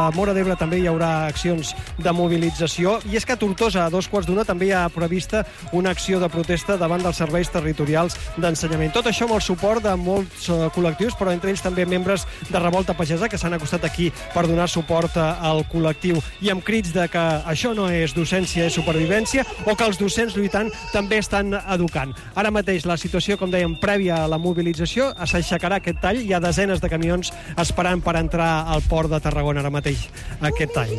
la Móra d'Ebre també hi haurà accions de mobilització, i és que a Tortosa, a 2:15, també hi ha prevista una acció de protesta davant dels serveis territorials d'ensenyament. Tot això amb el suport de molts col·lectius, però entre ells també membres de Revolta Pagesa que s'han acostat aquí per donar suport al col·lectiu, i amb crits de que això no és docència, és supervivència, o que els docents lluitant també estan educant. Ara mateix la situació, com dèiem, prèvia a la mobilització, s'aixecarà aquest tall. Hi ha desenes de camions esperant per entrar al port de Tarragona ara mateix, aquest tall.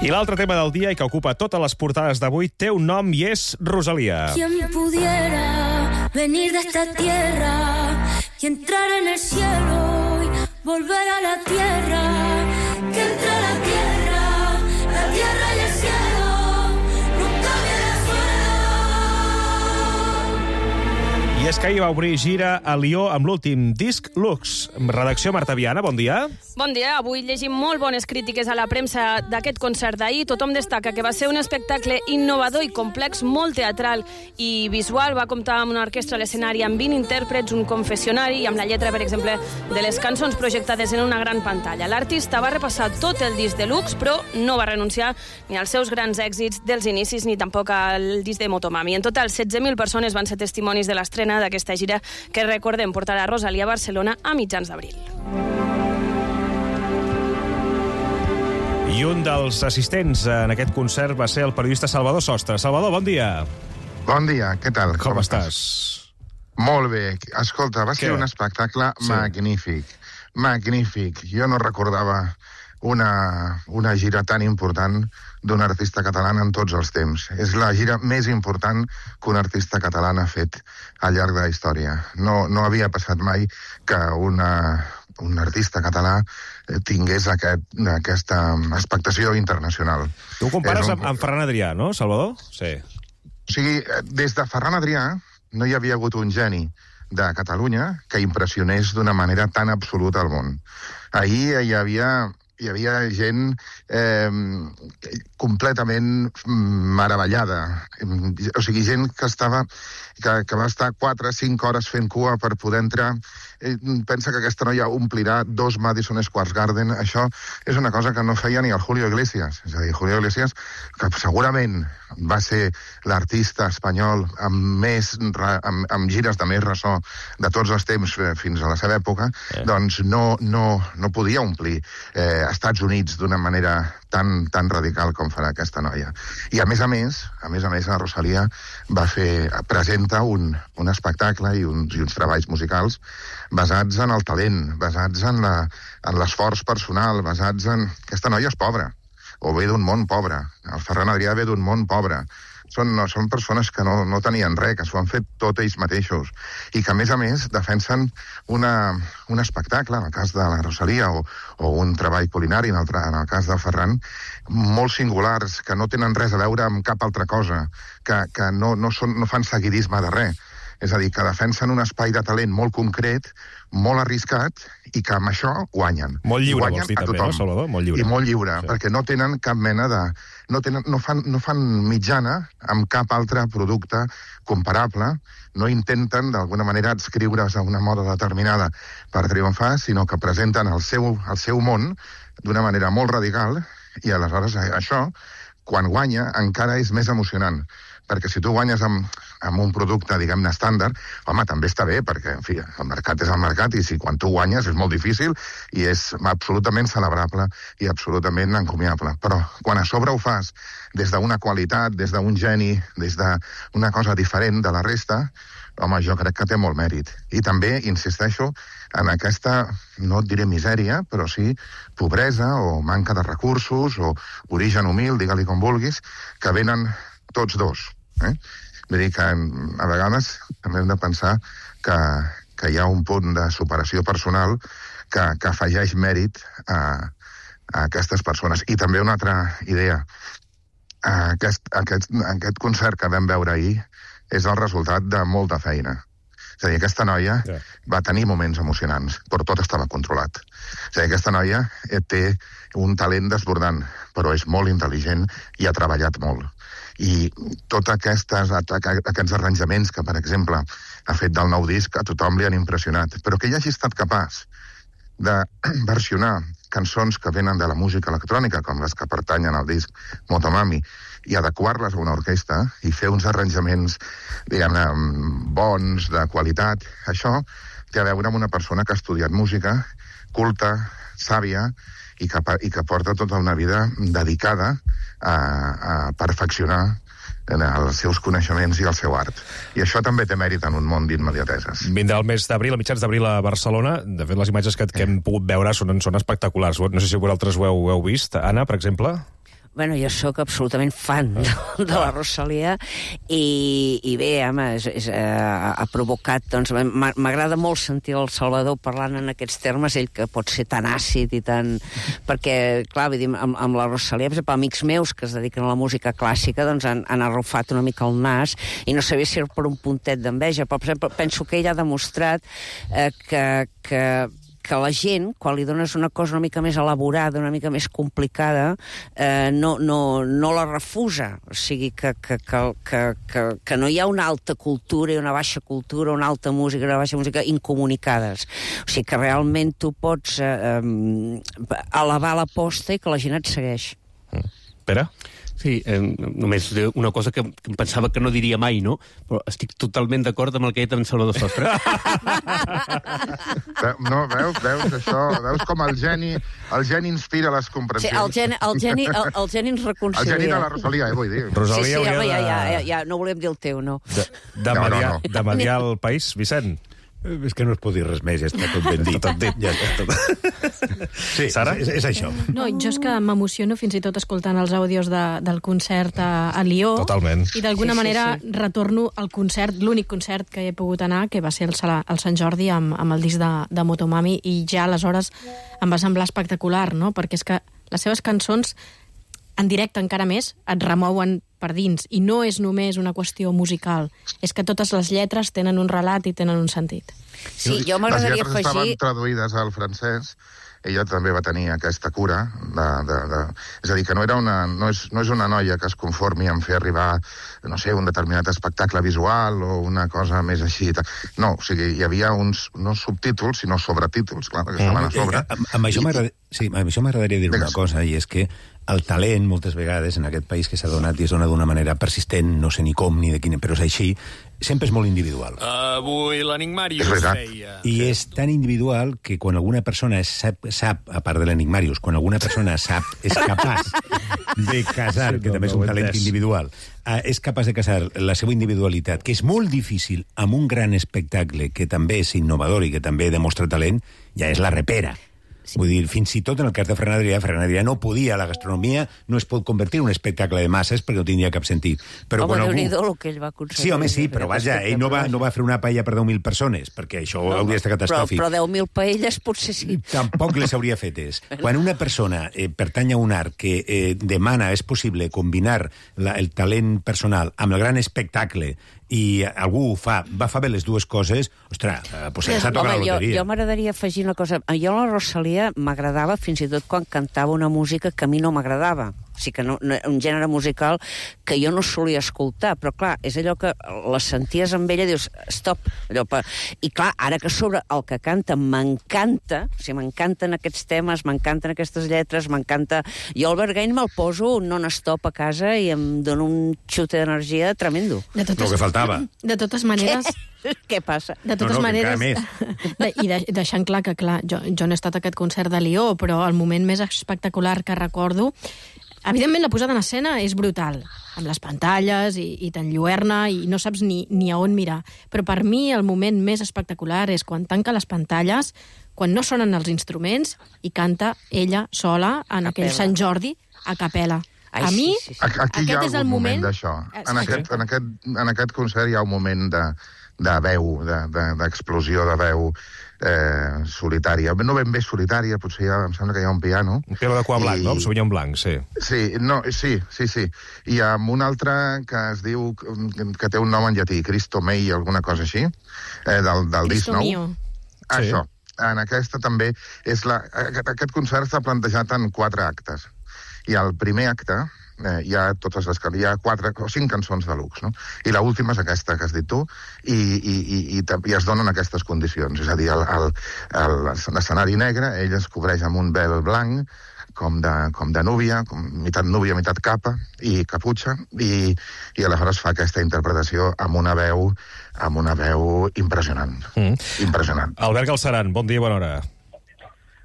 I l'altre tema del dia, i que ocupa totes les portades d'avui, té un nom i és Rosalía. Quien pudiera venir de esta tierra y entrar en el cielo y volver a la tierra, que entre la tierra y el cielo nunca viene suelo. I és que ahir va obrir gira a Lió amb l'últim disc Lux. Redacció Marta Viana, bon dia. Bon dia, avui llegim molt bones crítiques a la premsa d'aquest concert d'ahir. Tothom destaca que va ser un espectacle innovador i complex, molt teatral i visual. Va comptar amb una orquestra a l'escenari, amb 20 intèrprets, un confessionari i amb la lletra, per exemple, de les cançons projectades en una gran pantalla. L'artista va repassar tot el disc de Lux, però no va renunciar ni als seus grans èxits dels inicis ni tampoc al disc de Motomami. En total, 16.000 persones van ser testimonis de l'estrena d'aquesta gira que, recordem, portarà Rosalía a Barcelona a mitjans d'abril. I un dels assistents en aquest concert va ser el periodista Salvador Sostre. Salvador, bon dia. Bon dia, què tal? Com estàs? Molt bé. Escolta, va ser un espectacle magnífic. Magnífic. Jo no recordava una gira tan important d'un artista català en tots els temps. És la gira més important que un artista català ha fet al llarg de la història. No havia passat mai que un artista català tingués aquesta expectació internacional. Tu ho compares amb Ferran Adrià, no, Salvador? Sí. O sigui, des de Ferran Adrià no hi havia hagut un geni de Catalunya que impressionés d'una manera tan absoluta al món. Ahir hi havia gent completament meravellada. O sigui, gent que va estar 4 o 5 hores fent cua per poder entrar. Pensa que aquesta noia omplirà 2 Madison Square Garden. Això és una cosa que no feia ni el Julio Iglesias. És a dir, Julio Iglesias, que segurament va ser l'artista espanyol amb gires de més ressò de tots els temps fins a la seva època, doncs no podia omplir Estats Units d'una manera tan radical com farà aquesta noia. I a més a més, la Rosalía presenta un espectacle i uns treballs musicals basats en el talent, basats en l'esforç personal, basats en... Aquesta noia és pobra, o ve d'un món pobre. El Ferran Adrià ve d'un món pobre. Són persones que no tenien res, que s'ho han fet tot ells mateixos, i que, a més, defensen un espectacle, en el cas de la Rosalía, o un treball culinari, en el cas del Ferran, molt singulars, que no tenen res a veure amb cap altra cosa, que no fan seguidisme de res. És a dir, que defensen un espai de talent molt concret, molt arriscat, i que amb això guanyen. Molt lliure, vols dir també, no, Salvador? Molt lliure. I molt lliure, sí. Perquè no tenen cap mena de... No fan mitjana amb cap altre producte comparable, no intenten d'alguna manera adscriure's a una moda determinada per triomfar, sinó que presenten el seu món d'una manera molt radical, i aleshores això, quan guanya, encara és més emocionant. Perquè si tu guanyes amb un producte, diguem-ne, estàndard, home, també està bé, perquè, en fi, el mercat és el mercat, i si quan tu guanyes és molt difícil i és absolutament celebrable i absolutament encomiable. Però quan a sobre ho fas des d'una qualitat, des d'un geni, des d'una cosa diferent de la resta, home, jo crec que té molt mèrit. I també, insisteixo, en aquesta, no et diré misèria, però sí pobresa o manca de recursos o origen humil, digue-li com vulguis, que venen tots dos. Vull dir que a vegades també hem de pensar que hi ha un punt de superació personal que afegeix mèrit a aquestes persones. I també una altra idea. Aquest concert que vam veure ahir és el resultat de molta feina. És a dir, aquesta noia va tenir moments emocionants, però tot estava controlat. És a dir, aquesta noia té un talent desbordant, però és molt intel·ligent i ha treballat molt. I tots aquests arranjaments que, per exemple, ha fet del nou disc, a tothom li han impressionat. Però que ell hagi estat capaç de versionar cançons que venen de la música electrònica, com les que pertanyen al disc Motomami, i adequar-les a una orquestra i fer uns arranjaments, diguem-ne, bons, de qualitat. Això té a veure amb una persona que ha estudiat música, culta, sàvia, i que porta tota una vida dedicada a perfeccionar els seus coneixements i el seu art. I això també té mèrit en un món d'immediateses. Vindrà el mes d'abril, a mitjans d'abril a Barcelona. De fet, les imatges que hem pogut veure són espectaculars. No sé si vosaltres ho heu vist. Anna, per exemple? Bueno, jo sóc absolutament fan de la Rosalía i bé, home, ha provocat, doncs, m'agrada molt sentir el Salvador parlant en aquests termes, ell que pot ser tan àcid i tan... Perquè, clar, vull dir, amb la Rosalía, per exemple, amics meus que es dediquen a la música clàssica, doncs han arrufat una mica el nas i no sabia si era per un puntet d'enveja, però, per exemple, penso que ell ha demostrat que la gent, quan li dones una cosa una mica més elaborada, una mica més complicada, no la refusa. O sigui, que no hi ha una alta cultura i una baixa cultura, una alta música i una baixa música incomunicades. O sigui, que realment tu pots elevar l'aposta i que la gent et segueix. Pere? Sí, només una cosa que em pensava que no diria mai, no? Però estic totalment d'acord amb el que ha dit en Salvador Sostre. No, veus això? Veus com el geni inspira les comprensions? Sí, el geni ens reconcilia. El geni de la Rosalía, vull dir. Rosalía sí, home, ja no volem dir el teu, no. De mediar el país, Vicent? És que no es pot dir res més, ja està tot ben dit. Tot dit. Ja està tot. Sí, Sara? És això. No, jo és que m'emociono fins i tot escoltant els àudios del concert a Lió. Totalment. I d'alguna manera retorno al concert, l'únic concert que he pogut anar, que va ser el Sant Jordi amb el disc de Motomami, i ja aleshores em va semblar espectacular, no? Perquè és que les seves cançons en directe encara més et remouen per dins, i no és només una qüestió musical, és que totes les lletres tenen un relat i tenen un sentit. Sí, jo m'agradaria afegir... Les lletres estaven traduïdes al francès, ella també va tenir aquesta cura és a dir, que no és una noia que es conformi en fer arribar, no sé, un determinat espectacle visual o una cosa més així. No, o sigui, hi havia no subtítols, sinó sobretítols, clar, perquè estaven a sobre. Amb això m'agradaria dir una cosa, i és que el talent, moltes vegades, en aquest país que s'ha donat i es dona d'una manera persistent, no sé ni com ni de quina, però és així, sempre és molt individual. Avui l'Enigmàrius feia... I és tan individual que quan alguna persona sap, a part de l'Enigmàrius, quan alguna persona és capaç de casar, que també és un talent individual, és capaç de casar la seva individualitat, que és molt difícil, amb un gran espectacle que també és innovador i que també demostra talent, ja és la repera. Sí. Vull dir, fins i tot en el cas de Ferran Adrià no podia, la gastronomia no es pot convertir en un espectacle de masses perquè no tindria cap sentit. Però home, Déu-n'hi-do el que ell va aconseguir. Sí, home, sí, però vaja, ell no va fer una paella per 10.000 persones, perquè això hauria estat catàstrofic. Però 10.000 paelles potser sí. Tampoc les hauria fetes. Quan una persona pertany a un art que demana, és possible, combinar el talent personal amb el gran espectacle i algú va fer bé les dues coses, ostres, pues s'ha tocat la loteria. Jo m'agradaria afegir una cosa. Jo la Rosalía m'agradava fins i tot quan cantava una música que a mi no m'agradava. O sigui que un gènere musical que jo no solia escoltar, però clar, és allò que la senties amb ella i dius, stop. I clar, ara que sobre el que canta m'encanta, o sigui, m'encanten aquests temes, m'encanten aquestes lletres, m'encanta... Jo el Bergain me'l poso non-stop a casa i em dona un xute d'energia tremendo. El que faltava. De totes maneres... Què passa? De totes maneres, i deixant clar que, clar, jo no he estat a aquest concert de Lió, però el moment més espectacular que recordo, evidentment la posada en escena és brutal, amb les pantalles i t'enlluerna i no saps ni a on mirar. Però per mi el moment més espectacular és quan tanca les pantalles, quan no sonen els instruments i canta ella sola en aquell Sant Jordi a capella. A mi, aquí hi ha algun moment d'això. En aquest concert hi ha un moment de veu, d'explosió de veu solitària. No ben bé solitària, potser em sembla que hi ha un piano. Un piano de cua blanc, no? Sauvignon blanc, sí. Sí. I amb un altre que es diu, que té un nom en llatí, Cristo Mei, alguna cosa així, del disc nou. Això. En aquesta també és aquest concert està plantejat en 4 actes. I el primer acte, hi ha 4 o 5 cançons de luxe, no? I l'última és aquesta que has dit tu, i es donen aquestes condicions. És a dir, l'escenari negre, ell es cobreix amb un vel blanc, com de núvia, mitat núvia, mitat capa i caputxa, i aleshores fa aquesta interpretació amb una veu impressionant. Impressionant. Albert Galceran, bon dia i bona hora.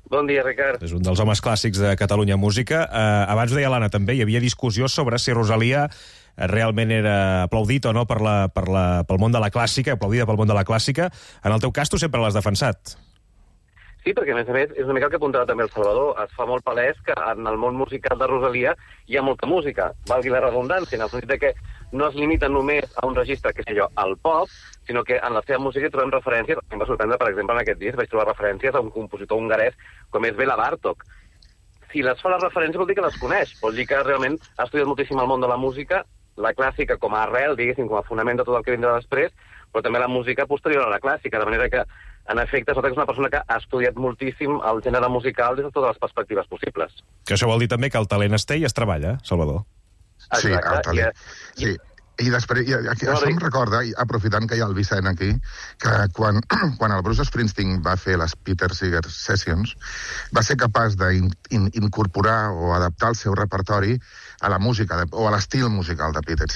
Bon dia, Ricard. És un dels homes clàssics de Catalunya Música. Abans ho deia l'Anna també, hi havia discussió sobre si Rosalia realment era aplaudit o no pel món de la clàssica, aplaudida pel món de la clàssica. En el teu cas, tu sempre l'has defensat. Sí, perquè a més és una mica el que apuntava també el Salvador. Es fa molt palès que en el món musical de Rosalia hi ha molta música, valgui la redundància, en el sentit que no es limita només a un registre, que sé jo, al pop, sinó que en la seva música hi trobem referències. Em va sorprendre, per exemple, en aquest disc vaig trobar referències a un compositor hongarès com és Béla Bartók. Si les fa la referència vol dir que les coneix, vol dir que realment ha estudiat moltíssim el món de la música, la clàssica com a arrel, diguéssim, com a fonament de tot el que vindrà després, però també la música posterior a la clàssica, de manera que en efecte, és una persona que ha estudiat moltíssim el gènere musical des de totes les perspectives possibles. Que això vol dir també que el talent es té i es treballa, Salvador. Sí, el talent. Sí. I després, això em recorda, aprofitant que hi ha el Vicent aquí, que quan el Bruce Springsteen va fer les Peter Seeger Sessions, va ser capaç d'incorporar o adaptar el seu repertori a la música, o a l'estil musical de Peter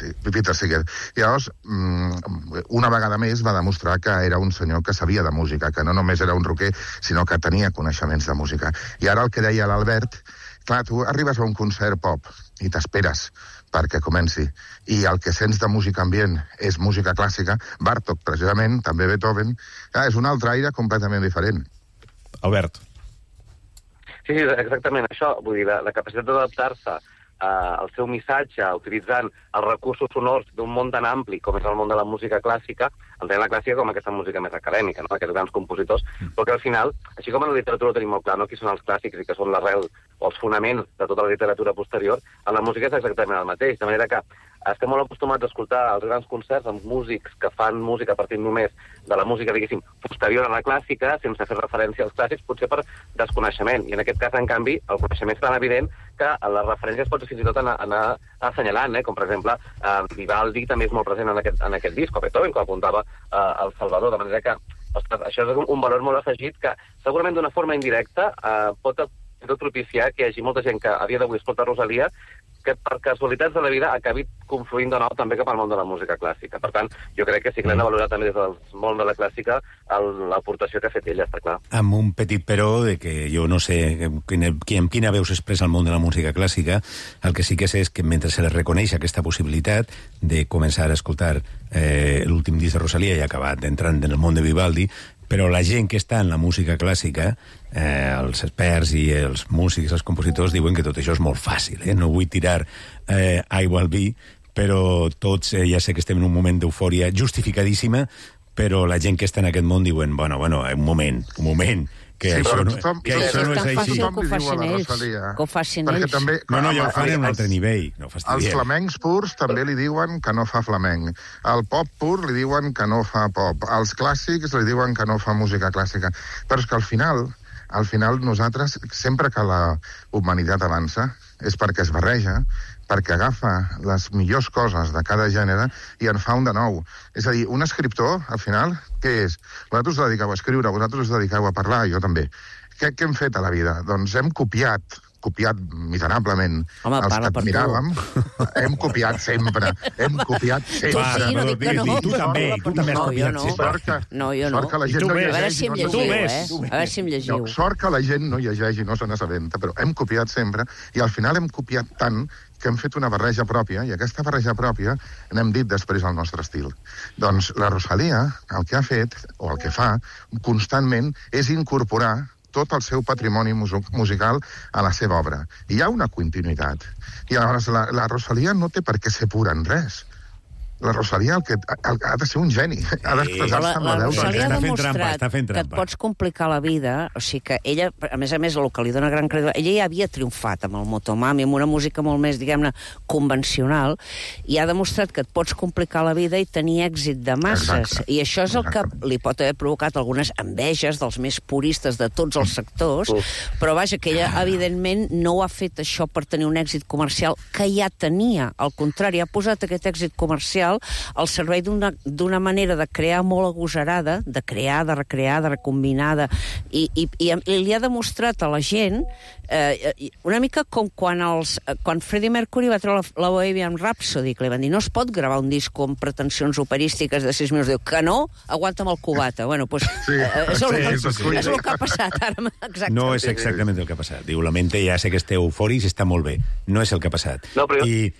Seeger. I llavors, una vegada més, va demostrar que era un senyor que sabia de música, que no només era un rocker, sinó que tenia coneixements de música. I ara el que deia l'Albert, clar, tu arribes a un concert pop i t'esperes perquè comenci, i el que sents de música ambient és música clàssica, Bartók, precisament, també Beethoven, és un altre aire completament diferent. Albert. Sí, exactament això. Vull dir, la capacitat d'adaptar-se al seu missatge, utilitzant els recursos sonors d'un món tan ampli com és el món de la música clàssica, entenent la clàssica com aquesta música més acadèmica, no? Aquests grans compositors, però que al final, així com en la literatura ho tenim molt clar, no? Qui són els clàssics i que són l'arrel o els fonaments de tota la literatura posterior, en la música és exactament el mateix, de manera que estem molt acostumats a escoltar els grans concerts amb músics que fan música partint només de la música, diguéssim, posterior a la clàssica, sense fer referència als clàssics, potser per desconeixement. I en aquest cas, en canvi, el coneixement és tan evident que les referències pots fins i tot anar assenyalant, com per exemple Vivaldi també és molt present en aquest disc, o Beethoven, com apuntava el Salvador, de manera que ostres, això és un valor molt afegit que segurament d'una forma indirecta pot propiciar que hi hagi molta gent que a dia d'avui escolta Rosalia que per casualitats de la vida acabi confluint de nou també cap al món de la música clàssica. Per tant, jo crec que sí que l'hem de valorar també des del món de la clàssica l'aportació que ha fet ella, està clar. Amb un petit però de que jo no sé amb quina veu s'expressa el món de la música clàssica, el que sí que sé és que mentre se li reconeix aquesta possibilitat de començar a escoltar l'últim disc de Rosalia i acabar entrant en el món de Vivaldi, però la gent que està en la música clàssica, els experts i els músics, els compositors, diuen que tot això és molt fàcil. No vull tirar aigua al vi, però tots, ja sé que estem en un moment d'eufòria justificadíssima, però la gent que està en aquest món diuen, bueno, un moment, que això no és així. Que ho facin ells. No, ja ho fan en un altre nivell. Els flamencs purs també li diuen que no fa flamenc. El pop pur li diuen que no fa pop. Els clàssics li diuen que no fa música clàssica. Però és que al final nosaltres, sempre que la humanitat avança, és perquè es barreja, perquè agafa les millors coses de cada gènere i en fa un de nou. És a dir, un escriptor, al final, què és? Vosaltres us dediqueu a escriure, vosaltres us dediqueu a parlar, jo també. Què hem fet a la vida? Doncs hem copiat miserablement els que admiràvem. Hem copiat sempre. Tu també has copiat sempre. No, jo no. A veure si em llegiu. Sort que la gent no llegeix i no se n'assabenta, però hem copiat sempre i al final hem copiat tant que hem fet una barreja pròpia, i aquesta barreja pròpia n'hem dit després el nostre estil. Doncs la Rosalia el que ha fet, o el que fa, constantment, és incorporar tot el seu patrimoni musical a la seva obra. I hi ha una continuïtat. I llavors la Rosalia no té per què ser pura en res. La Rosalía ha de ser un geni. Ha d'expressar-se amb la veu. La Rosalía ha demostrat que et pots complicar la vida, o sigui que ella, a més, el que li dona gran credibilitat, ella ja havia triomfat amb el Motomami, amb una música molt més, diguem-ne, convencional, i ha demostrat que et pots complicar la vida i tenir èxit de masses. I això és el que li pot haver provocat algunes enveges dels més puristes de tots els sectors, però vaja, que ella, evidentment, no ho ha fet això per tenir un èxit comercial que ja tenia. Al contrari, ha posat aquest èxit comercial al servei d'una manera de crear molt agosarada, de crear, de recrear, de recombinar, i li ha demostrat a la gent una mica com quan Freddie Mercury va treure la Bohemian Rhapsody, que li van dir no es pot gravar un disc amb pretensions operístiques de 6 minuts. Diu que no, aguanta'm el cubata. Bueno, doncs és el que ha passat ara. Exacte. No és exactament el que ha passat. Diu, lamento, ja sé que esteu eufòrics, està molt bé. No és el que ha passat. No, però I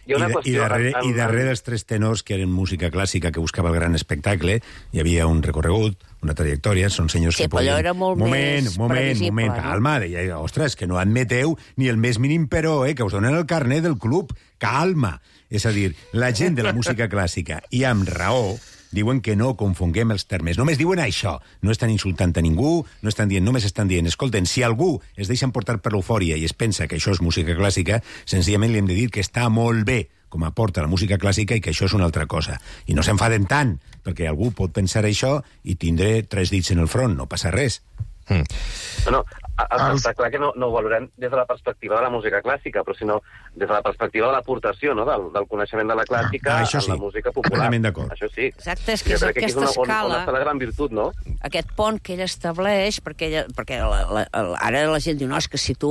darrere dels tres tenors que eren música clàssica que buscava el gran espectacle, hi havia un recorregut, una trajectòria, són senyors que podien... Sí, però era molt més previsible. Calma, deia, ostres, que no admeteu ni el més mínim però, que us donen el carnet del club. Calma. És a dir, la gent de la música clàssica, i amb raó, diuen que no confonguem els termes. Només diuen això. No estan insultant a ningú, només estan dient, escolten, si algú es deixa emportar per l'eufòria i es pensa que això és música clàssica, senzillament li hem de dir que està molt bé com aporta la música clàssica i que això és una altra cosa. I no s'enfaden tant, perquè algú pot pensar això i tindré 3 dits en el front, no passa res. No, està clar que no ho valorem des de la perspectiva de la música clàssica, però sinó des de la perspectiva de l'aportació, no? Del coneixement de la clàssica a la música popular. Això sí. Exacte, és que és aquesta escala... On està la gran virtut, no? Aquest pont que ell estableix, perquè ara la gent diu, no, és que si tu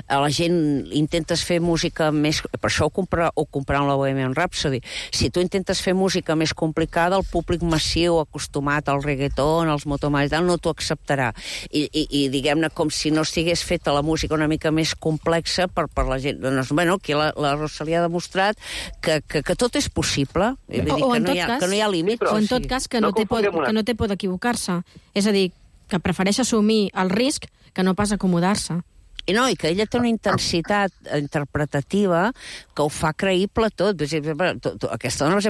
a la gent intentes fer música més... Per això ho compraran la Bohemian Rhapsody. Si tu intentes fer música més complicada, el públic massiu, acostumat al reggaeton, als motomami i tal, no t'ho acceptarà. I diguem-ne, com si no estigués feta la música una mica més complexa per la gent. Doncs, bueno, aquí la Rosalía ha demostrat que tot és possible. Que no hi ha límit. O en tot cas que no té por d'equivocar-se. És a dir, que prefereix assumir el risc que no pas acomodar-se. I que ella té una intensitat interpretativa que ho fa creïble tot. Aquesta dona,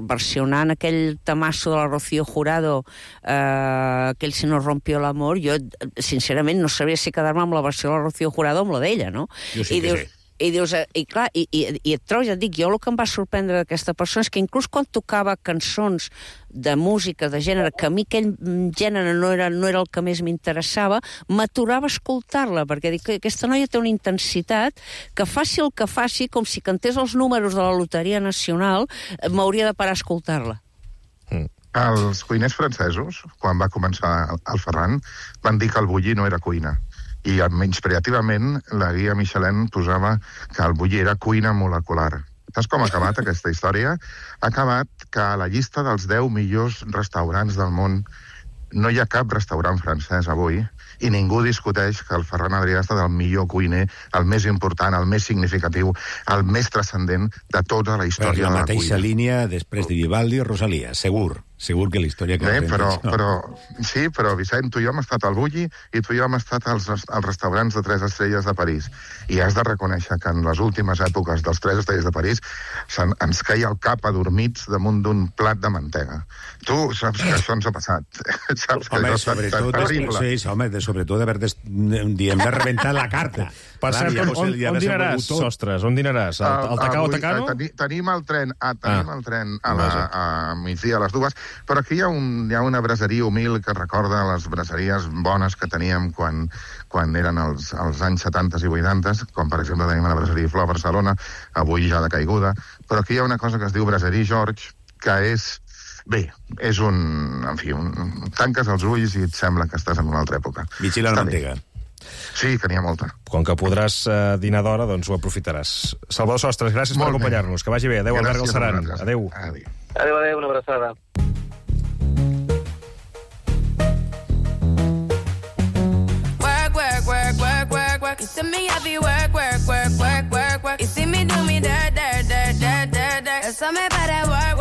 versionant aquell tamasso de la Rocío Jurado, aquell Si nos rompió l'amor, jo, sincerament, no sabria si quedar-me amb la versió de la Rocío Jurado o amb la d'ella, no? Jo sí que sé. I dius, clar, et trobes, ja et dic, jo el que em va sorprendre d'aquesta persona és que inclús quan tocava cançons de música, de gènere, que a mi aquell gènere no era el que més m'interessava, m'aturava a escoltar-la, perquè dic que aquesta noia té una intensitat que faci el que faci, com si cantés els números de la Loteria Nacional, m'hauria de parar a escoltar-la. Els cuiners francesos, quan va començar el Ferran, van dir que el bullir no era cuina. I menyspreativament la guia Michelin posava que el bullir era cuina molecular. Saps com ha acabat aquesta història? Ha acabat que a la llista dels 10 millors restaurants del món no hi ha cap restaurant francès avui i ningú discuteix que el Ferran Adrià ha estat el millor cuiner, el més important, el més significatiu, el més transcendent de tota la història de la cuina. Per la mateixa línia després de Vivaldi o Rosalía, segur que la història... Però Vicent, tu i jo hem estat al Bulli i tu i jo hem estat als restaurants de 3 estrelles de París. I has de reconèixer que en les últimes èpoques dels 3 estrelles de París ens caia el cap adormits damunt d'un plat de mantega. Tu saps que això ens ha passat. Saps que això ha estat terrible. Sí, home, sobretot diem de rebentar la carta. Per cert, on dinaràs, Sostres? On dinaràs? Al Tacao? Tenim el tren a migdia a les 2, però aquí hi ha una braseria humil que recorda les braseries bones que teníem quan eren els anys 70 i 80, com per exemple tenim la braseria Flor a Barcelona, avui ja de caiguda, però aquí hi ha una cosa que es diu Braserie George, que és... Bé, és tanques els ulls i et sembla que estàs en una altra època. Vigila la mantega. Sí, que n'hi ha molta. Com que podràs dinar d'hora, doncs ho aprofitaràs. Salvador Sostres, gràcies per acompanyar-nos. Que vagi bé. Adéu, Albert Galceran. Adéu. Adéu, una abraçada. Work. You see me happy work. You see me do me dirt. So me better work.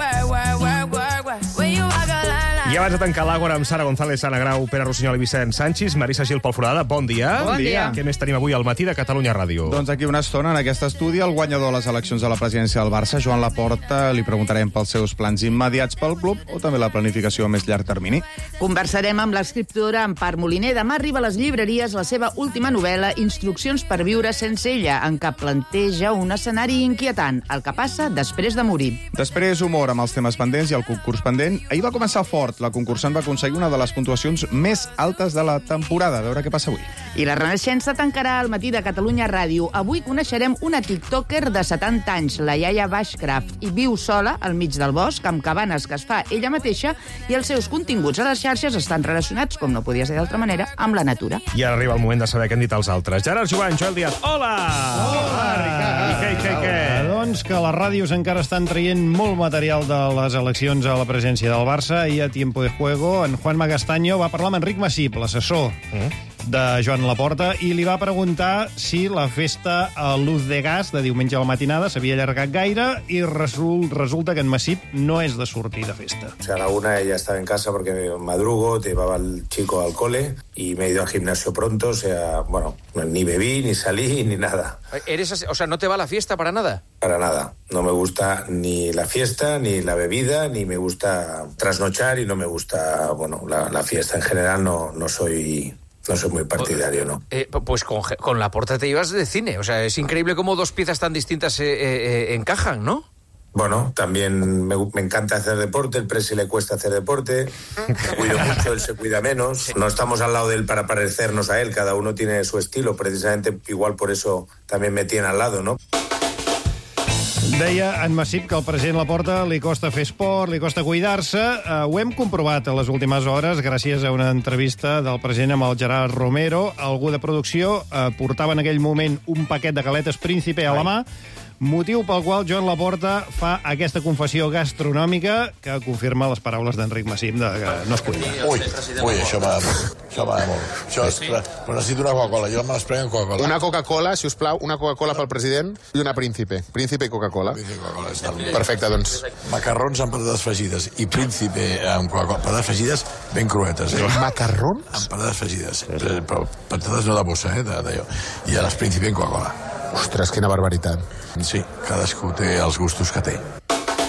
When you walk a line. I abans de tancar l'Àgora amb Sara González, Anna Grau, Pere Rossinyol i Vicent Sánchez, Marisa Gil pel Foradada, bon dia. Bon dia. Què més tenim avui al matí de Catalunya Ràdio? Doncs aquí una estona, en aquest estudi, el guanyador de les eleccions a la presidència del Barça, Joan Laporta, li preguntarem pels seus plans immediats pel club o també la planificació a més llarg termini. Conversarem amb l'escriptora Empar Moliner. Demà arriba a les llibreries la seva última novel·la, Instruccions per viure sense ella, en què planteja un escenari inquietant, el que passa després de morir. Després, humor amb els temes pendents i el concurs pendent. Ahir va començar fort. La concursant va aconseguir una de les puntuacions més altes de la temporada. A veure què passa avui. I la Renaixença tancarà el matí de Catalunya Ràdio. Avui coneixerem una tiktoker de 70 anys, la Iaia Bashcraft, i viu sola al mig del bosc, amb cabanes que es fa ella mateixa, i els seus continguts a les xarxes estan relacionats, com no podia ser d'altra manera, amb la natura. I ara arriba el moment de saber què han dit els altres. Gerard Jovany, Joel Díaz, hola! Hola, Ricard! I què? Doncs que les ràdios encara estan traient molt material de les eleccions a la presència del Barça, i a Tiempo de Juego en Juanma Castaño va parlar amb Enric Massip, l'assessor de Joan Laporta, i li va preguntar si la festa a Luz de Gas de diumenge a la matinada s'havia allargat gaire, i resulta que en Massip no és de sortir de festa. O sea, a la una ella estaba en casa porque madrugo, llevaba al chico al cole y me he ido al gimnasio pronto, o sea, bueno, ni bebí, ni salí, ni nada. O sea, ¿no te va la fiesta para nada? Para nada. No me gusta ni la fiesta, ni la bebida, ni me gusta trasnochar y no me gusta, bueno, la fiesta en general no soy muy partidario, ¿no? Pues con Laporta te ibas de cine. O sea, es increíble cómo dos piezas tan distintas encajan, ¿no? Bueno, también me encanta hacer deporte, el Presi le cuesta hacer deporte, me cuido mucho, él se cuida menos. No estamos al lado de él para parecernos a él, cada uno tiene su estilo, precisamente igual por eso también me tiene al lado, ¿no? Deia en Massip que al president Laporta li costa fer esport, li costa cuidar-se. Ho hem comprovat a les últimes hores gràcies a una entrevista del president amb el Gerard Romero. Algú de producció portava en aquell moment un paquet de galetes Príncipe a la mà, motiu pel qual Joan Laporta fa aquesta confessió gastronòmica que confirma les paraules d'Enric Massip de que no es cuida. Ui, això m'agrada molt. Però necessito una Coca-Cola, jo me les prenc amb Coca-Cola. Una Coca-Cola, si us plau, una Coca-Cola pel president i una Príncipe. Príncipe i Coca-Cola. Perfecte, doncs. Macarrons amb patates fregides i Príncipe amb Coca-Cola. Patates fregides ben cruetes, Macarrons? Amb patates fregides. Però patates no de bossa, d'allò. I a les Príncipe en Coca-Cola. Ostres, quina barbaritat. Sí, cadascú té els gustos que té.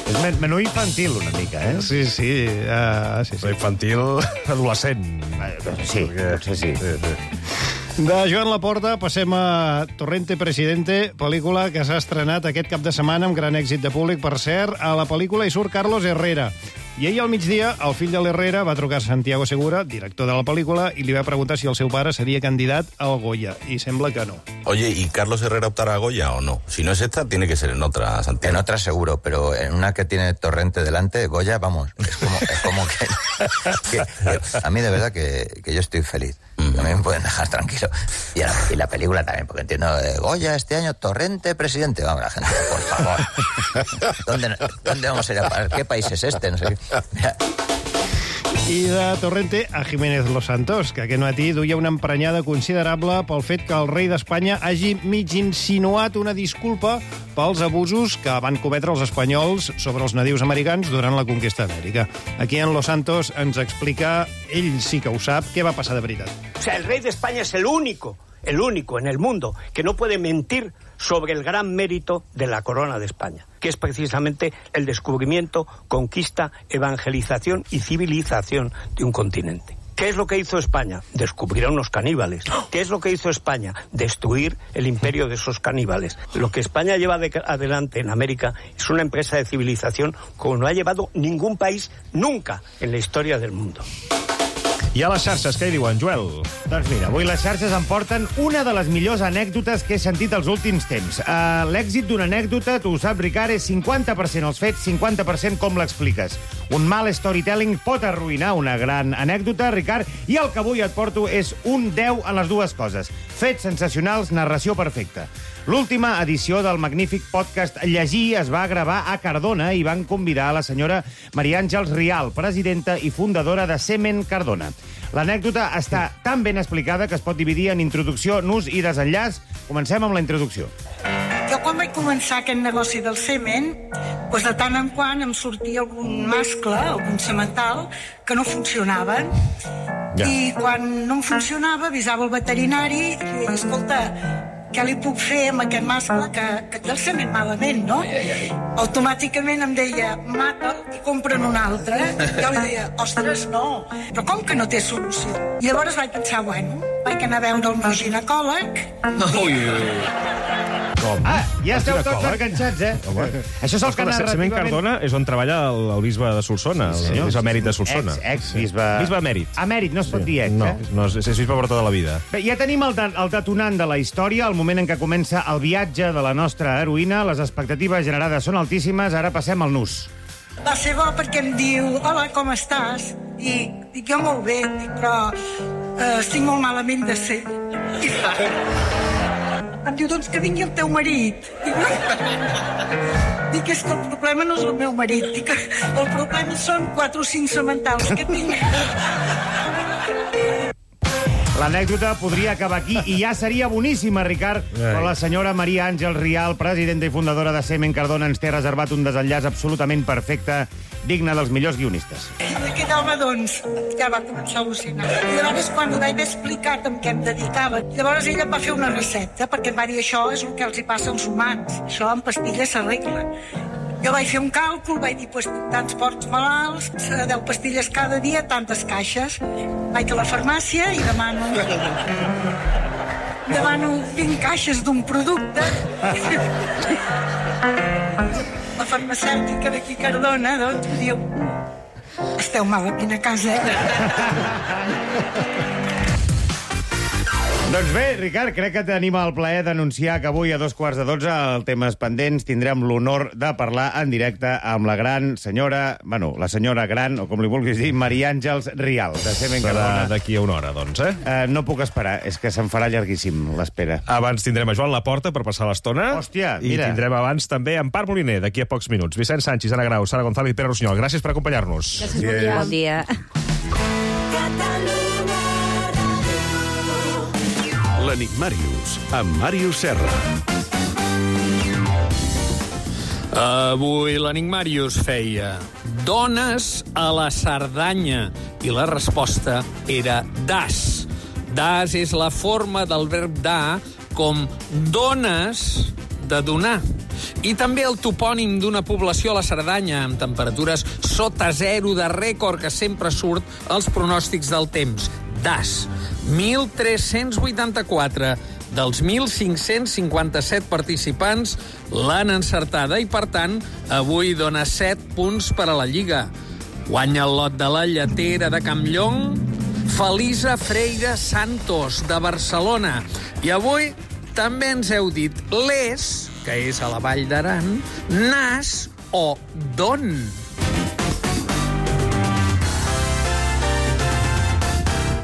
És menú infantil, una mica, eh? Sí. Però infantil adolescent. Sí, potser sí. De Joan Laporta passem a Torrente Presidente, pel·lícula que s'ha estrenat aquest cap de setmana amb gran èxit de públic. Per cert, a la pel·lícula hi surt Carlos Herrera. I ahir al migdia, el fill de l'Herrera va trucar a Santiago Segura, director de la pel·lícula, i li va preguntar si el seu pare seria candidat al Goya. I sembla que no. Oye, ¿y Carlos Herrera optará a Goya o no? Si no es esta, tiene que ser en otra, Santiago. En otra seguro, pero en una que tiene Torrente delante, Goya, vamos, es como que a mí de verdad que yo estoy feliz. También me pueden dejar tranquilo. Y la película también, porque entiendo, Goya este año, Torrente Presidente. Vamos, la gente, por favor. ¿Dónde vamos a ir a parar? ¿Qué país es este? No sé qué. Mira. I de Torrente a Jiménez Los Santos, que aquest matí duia una emprenyada considerable pel fet que el rei d'Espanya hagi mig insinuat una disculpa pels abusos que van cometre els espanyols sobre els nadius americans durant la conquesta d'Amèrica. Aquí en Los Santos ens explica, ell sí que ho sap, què va passar de veritat. O sea, el rey de España es el único en el mundo que no puede mentir sobre el gran mérito de la corona de España, que es precisamente el descubrimiento, conquista, evangelización y civilización de un continente. ¿Qué es lo que hizo España? Descubrir a unos caníbales. ¿Qué es lo que hizo España? Destruir el imperio de esos caníbales. Lo que España lleva adelante en América es una empresa de civilización como no ha llevado ningún país nunca en la historia del mundo. I a les xarxes, què hi diuen, Joel? Doncs mira, avui les xarxes em porten una de les millors anècdotes que he sentit els últims temps. L'èxit d'una anècdota, tu ho saps, Ricard, és 50% els fets, 50% com l'expliques. Un mal storytelling pot arruïnar una gran anècdota, Ricard, i el que avui et porto és un 10 en les dues coses. Fets sensacionals, narració perfecta. L'última edició del magnífic podcast Llegir es va gravar a Cardona i van convidar a la senyora Maria Àngels Rial, presidenta i fundadora de Semen Cardona. L'anècdota està tan ben explicada que es pot dividir en introducció, nus i desenllaç. Comencem amb la introducció. Jo quan quan vaig començar aquest negoci del semen, doncs de tant en quant em sortia algun mascle, algun semental, que no funcionaven. Ja. I quan no em funcionava, avisava el veterinari i deia, escolta, què li puc fer amb aquest mascle que té el semen malament, no? Automàticament em deia, mata'l i compra'n un altre. Jo li deia, ostres, no, però com que no té solució? I llavors vaig pensar, bueno, vaig anar a veure el meu ginecòleg. Com? Ja esteu tots enganxats, Això és el que narrativament... Semen Cardona és on treballa el bisbe de Solsona, el bisbe emèrit de Solsona. Ex-bisbe... Bisbe emèrit. Emèrit, no es pot dir ex, No, és bisbe per tota la vida. Bé, ja tenim el detonant de la història, el moment en què comença el viatge de la nostra heroïna. Les expectatives generades són altíssimes, ara passem al nus. Va ser bo perquè em diu, hola, com estàs? I dic, jo molt bé, però estic molt malament de ser. Em diu, doncs que vingui el teu marit. Dic, és que el problema no és el meu marit. Dic, el problema són 4 o 5 sementals que tinc. L'anècdota podria acabar aquí i ja seria boníssima, Ricard, però la senyora Maria Àngels Rial, presidenta i fundadora de Semen Cardona, ens té reservat un desenllaç absolutament perfecte, digne dels millors guionistes. Aquest home, doncs, ja va començar a al·lucinar. I llavors, quan li vaig explicar amb què em dedicava, llavors ella va fer una recepta, perquè em va dir, això és el que els hi passa als humans. Això amb pastilles s'arregla. Jo vaig fer un càlcul, vaig dir, doncs, tants porcs malalts, 10 pastilles cada dia, tantes caixes. Vaig a la farmàcia i demano 20 caixes d'un producte. La farmacèutica d'aquí Cardona, doncs, em diu, esteu malament a casa, Doncs bé, Ricard, crec que tenim el plaer d'anunciar que avui a 11:45 al Temes Pendents tindrem l'honor de parlar en directe amb la gran senyora, la senyora gran, o com li vulguis dir, Maria Àngels Rial, de Semen Cardona. D'aquí a una hora, doncs, No puc esperar, és que se'n farà llarguíssim l'espera. Abans tindrem a Joan Laporta per passar l'estona. Hòstia, mira. I tindrem abans també Empar Moliner, d'aquí a pocs minuts. Vicent Sánchez, Ana Grau, Sara González i Pere Rossinyol. Gràcies per acompanyar-nos. Gràcies, bon dia. L'Enigmàrius, amb Màrius Serra. Avui l'Enigmàrius feia dones a la Cerdanya i la resposta era das. Das és la forma del verb dar com dones de donar. I també el topònim d'una població a la Cerdanya amb temperatures sota zero de rècord que sempre surt als pronòstics del temps. Das. 1.384 dels 1.557 participants l'han encertada i, per tant, avui dona 7 punts per a la Lliga. Guanya el lot de la lletera de Campllong, Felisa Freire Santos, de Barcelona. I avui també ens heu dit les, que és a la Vall d'Aran, nas o don.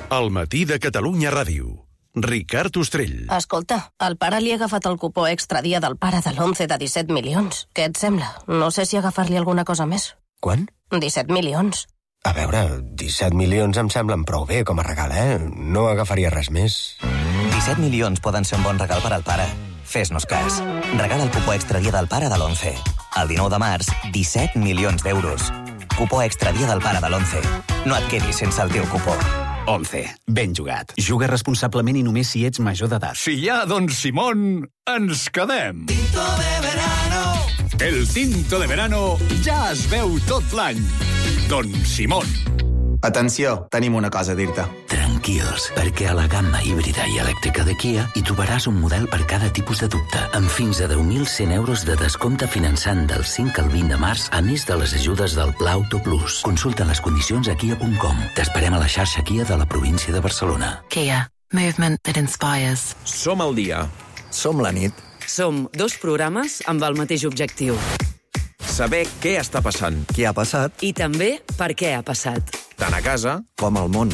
El matí de Catalunya Ràdio. Ricard Ostrell. Escolta, el pare li ha agafat el cupó extra dia del pare de l'11 de 17 milions. Què et sembla? No sé si agafar-li alguna cosa més. Quant? 17 milions. A veure, 17 milions em semblen prou bé com a regal, No agafaria res més. 17 milions poden ser un bon regal per al pare. Fes-nos cas. Regala el cupó extra dia del pare de l'11. El 19 de març, 17 milions d'euros. Cupó extra dia del pare de l'11. No et quedis sense el teu cupó. 11. Ben jugat. Juga responsablement i només si ets major d'edat. Si hi ha Don Simón, ens quedem. Tinto de verano. El tinto de verano ja es veu tot l'any. Don Simón. Atenció, tenim una cosa a dir-te. Tranquils, perquè a la gamma híbrida i elèctrica de Kia hi trobaràs un model per cada tipus de dubte, amb fins a 10.100 euros de descompte finançant del 5 al 20 de març, a més de les ajudes del Pla Auto Plus. Consulta les condicions a kia.com. T'esperem a la xarxa Kia de la província de Barcelona. Kia. Movement that inspires. Som al dia. Som la nit. Som 2 programes amb el mateix objectiu. Saber què està passant. Què ha passat. I també per què ha passat. Tant a casa com al món.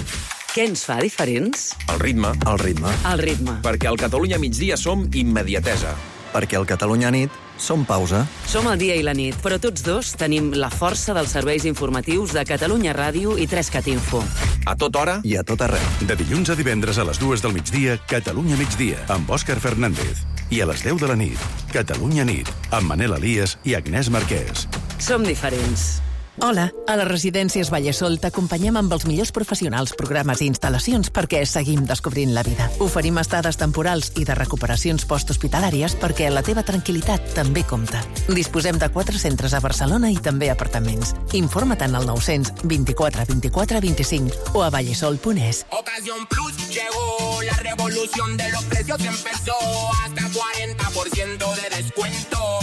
Què ens fa diferents? El ritme. El ritme. El ritme. Perquè al Catalunya migdia som immediatesa. Perquè al Catalunya nit som pausa. Som el dia i la nit, però tots dos tenim la força dels serveis informatius de Catalunya Ràdio i 3cat Info. A tota hora i a tot arreu. De dilluns a divendres a les 2 del migdia, Catalunya migdia, amb Òscar Fernández. I a les 10 de la nit, Catalunya Nit, amb Manel Elias i Agnès Marquès. Som diferents. Hola, a les residències Vallesol t'acompanyem amb els millors professionals, programes i instal·lacions perquè seguim descobrint la vida. Oferim estades temporals i de recuperacions posthospitalàries perquè la teva tranquil·litat també compta. Disposem de 4 centres a Barcelona i també apartaments. Informa't al 900 24 24 25 o a vallesol.es. Ocasión Plus llegó, la revolución de los precios empezó, hasta 40% de descuento,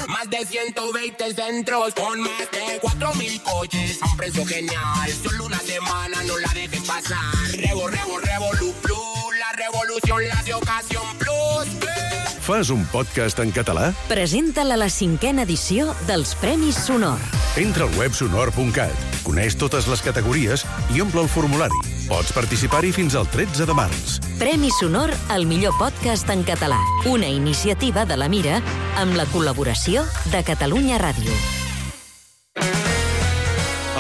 más de 120 centros con más de 4,000 coches a un precio genial. Solo una semana, no la dejes pasar. Revolu Plus, la revolución la de Ocasión Plus. Fas un podcast en català? Presenta-la la 5a edició dels Premis Sonor. Entra al web sonor.cat, coneix totes les categories i omple el formulari. Pots participar-hi fins al 13 de març. Premi Sonor al millor podcast en català. Una iniciativa de la Mira amb la col·laboració de Catalunya Ràdio.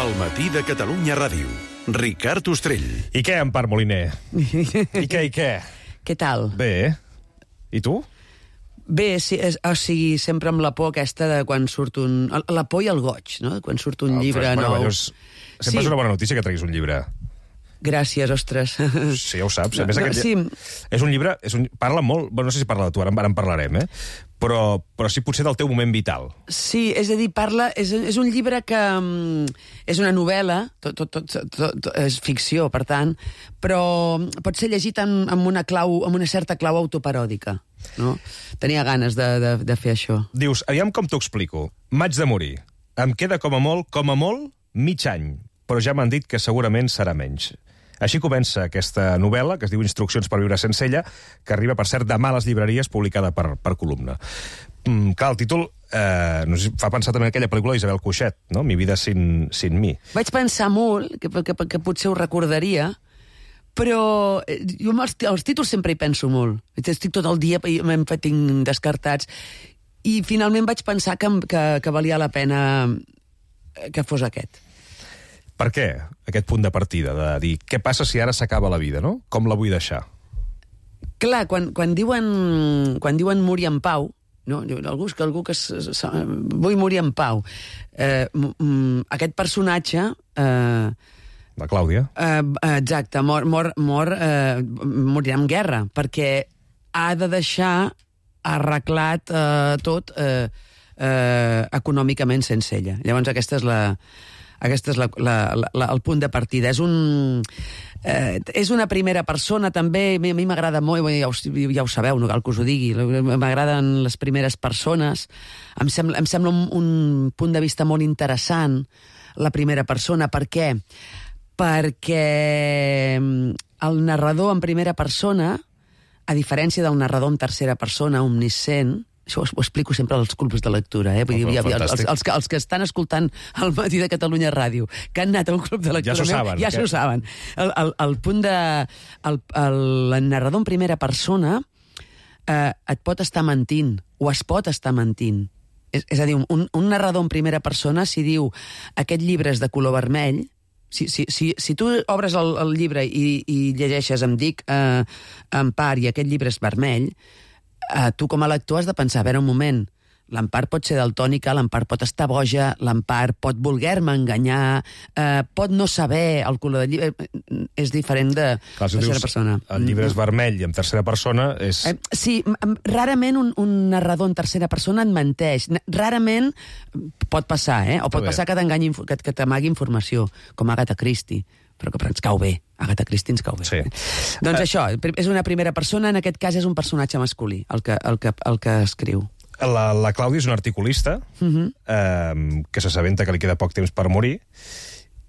El matí de Catalunya Ràdio. Ricard Ostrell. I què, Empar Moliner? I què? Què tal? Bé. I tu? Bé, sí, o sigui, sempre amb la por aquesta de quan surt un... La por i el goig, no? Quan surt un llibre nou. Sempre és una bona notícia que treguis un llibre. Gràcies, ostres. Sí, ja ho saps. A més, és un llibre... Parla molt... Bueno, no sé si parla de tu, ara en parlarem, Però sí, potser del teu moment vital. Sí, és a dir, és un llibre que... És una novel·la, tot és ficció, per tant, però pot ser llegit amb una certa clau autoparòdica. No? Tenia ganes de fer això. Dius, aviam com t'ho explico. M'haig de morir. Em queda com a molt, mig any, però ja m'han dit que segurament serà menys. Així comença aquesta novel·la, que es diu Instruccions per viure sense ella, que arriba, per cert, demà a les llibreries, publicada per Columna. Clar, el títol no sé, fa pensar també en aquella pel·lícula d'Isabel Cuixet, no? Mi vida sin mi. Vaig pensar molt, que potser ho recordaria, però jo els títols sempre hi penso molt. Estic tot el dia, me'n tinc descartats, i finalment vaig pensar que valia la pena que fos aquest. Per què aquest punt de partida, de dir què passa si ara s'acaba la vida, no? Com la vull deixar? Clar, quan diuen morir en pau, no? Algú que vull morir en pau. Aquest personatge... La Clàudia. Exacte, morirà en guerra, perquè ha de deixar arreglat tot econòmicament sense ella. Llavors aquest és el punt de partida. És una primera persona, també. A mi m'agrada molt, ja ho sabeu, no cal que us ho digui, m'agraden les primeres persones. Em sembla un punt de vista molt interessant, la primera persona. Per què? Perquè el narrador en primera persona, a diferència del narrador en tercera persona, omniscient, això ho explico sempre als clubs de lectura, Vull dir, els que estan escoltant el matí de Catalunya Ràdio, que han anat a un club de lectura, ja s'ho saben. El punt de... El narrador en primera persona et pot estar mentint, o es pot estar mentint. És a dir, un narrador en primera persona, si diu aquest llibre és de color vermell, si tu obres el llibre i llegeixes em dic Empar i aquest llibre és vermell, tu com a lector has de pensar, a veure un moment, l'Empar pot ser daltònica, l'Empar pot estar boja, l'Empar pot voler-me enganyar, pot no saber el color del llibre, és diferent de tercera persona. El llibre és vermell i en tercera persona és... Sí, rarament un narrador en tercera persona et menteix. Rarament pot passar, o pot passar que t'amagui informació, com Agatha Christie. Però ens cau bé. Agatha Christie ens cau bé. Sí. Doncs això, és una primera persona, en aquest cas és un personatge masculí, el que escriu. La Clàudia és una articulista que s'assabenta que li queda poc temps per morir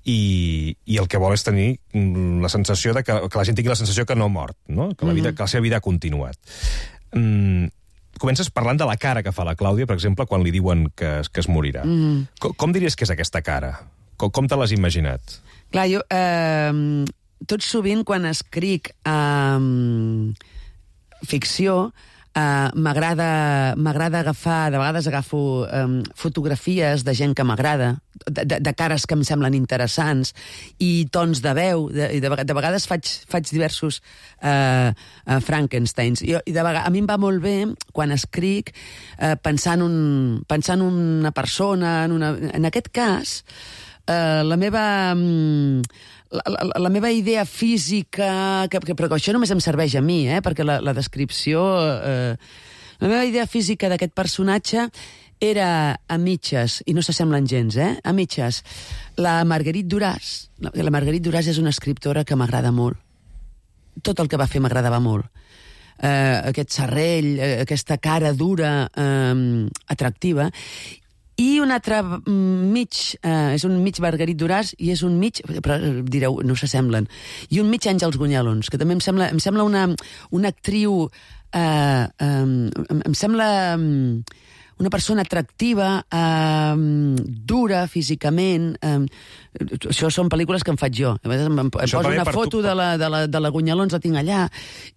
i el que vol és tenir la sensació de que la gent tingui la sensació que no ha mort, no? Que la seva vida ha continuat. Comences parlant de la cara que fa la Clàudia, per exemple, quan li diuen que es morirà. Com diries que és aquesta cara? Com te l'has imaginat? Clar, jo tot sovint quan escric ficció M'agrada agafar, de vegades agafo fotografies de gent que m'agrada, de cares que em semblen interessants, i tons de veu, i de vegades faig diversos Frankensteins. A mi em va molt bé, quan escric, pensar en una persona, en aquest cas, la meva idea física, però això només em serveix a mi, perquè la descripció... La meva idea física d'aquest personatge era a mitges, i no s'assemblen gens, a mitges, la Marguerite Duras. La Marguerite Duras és una escriptora que m'agrada molt. Tot el que va fer m'agradava molt. Aquest serrell, aquesta cara dura, atractiva. I un altre mig, és un mig Marguerite Duras i és un mig, però direu, no s'assemblen, i un mig Àngels Gunyalons, que també em sembla una actriu, em sembla una persona atractiva, dura físicament. Això són pel·lícules que em faig jo. Em poso una foto de la Gunyalons, la tinc allà,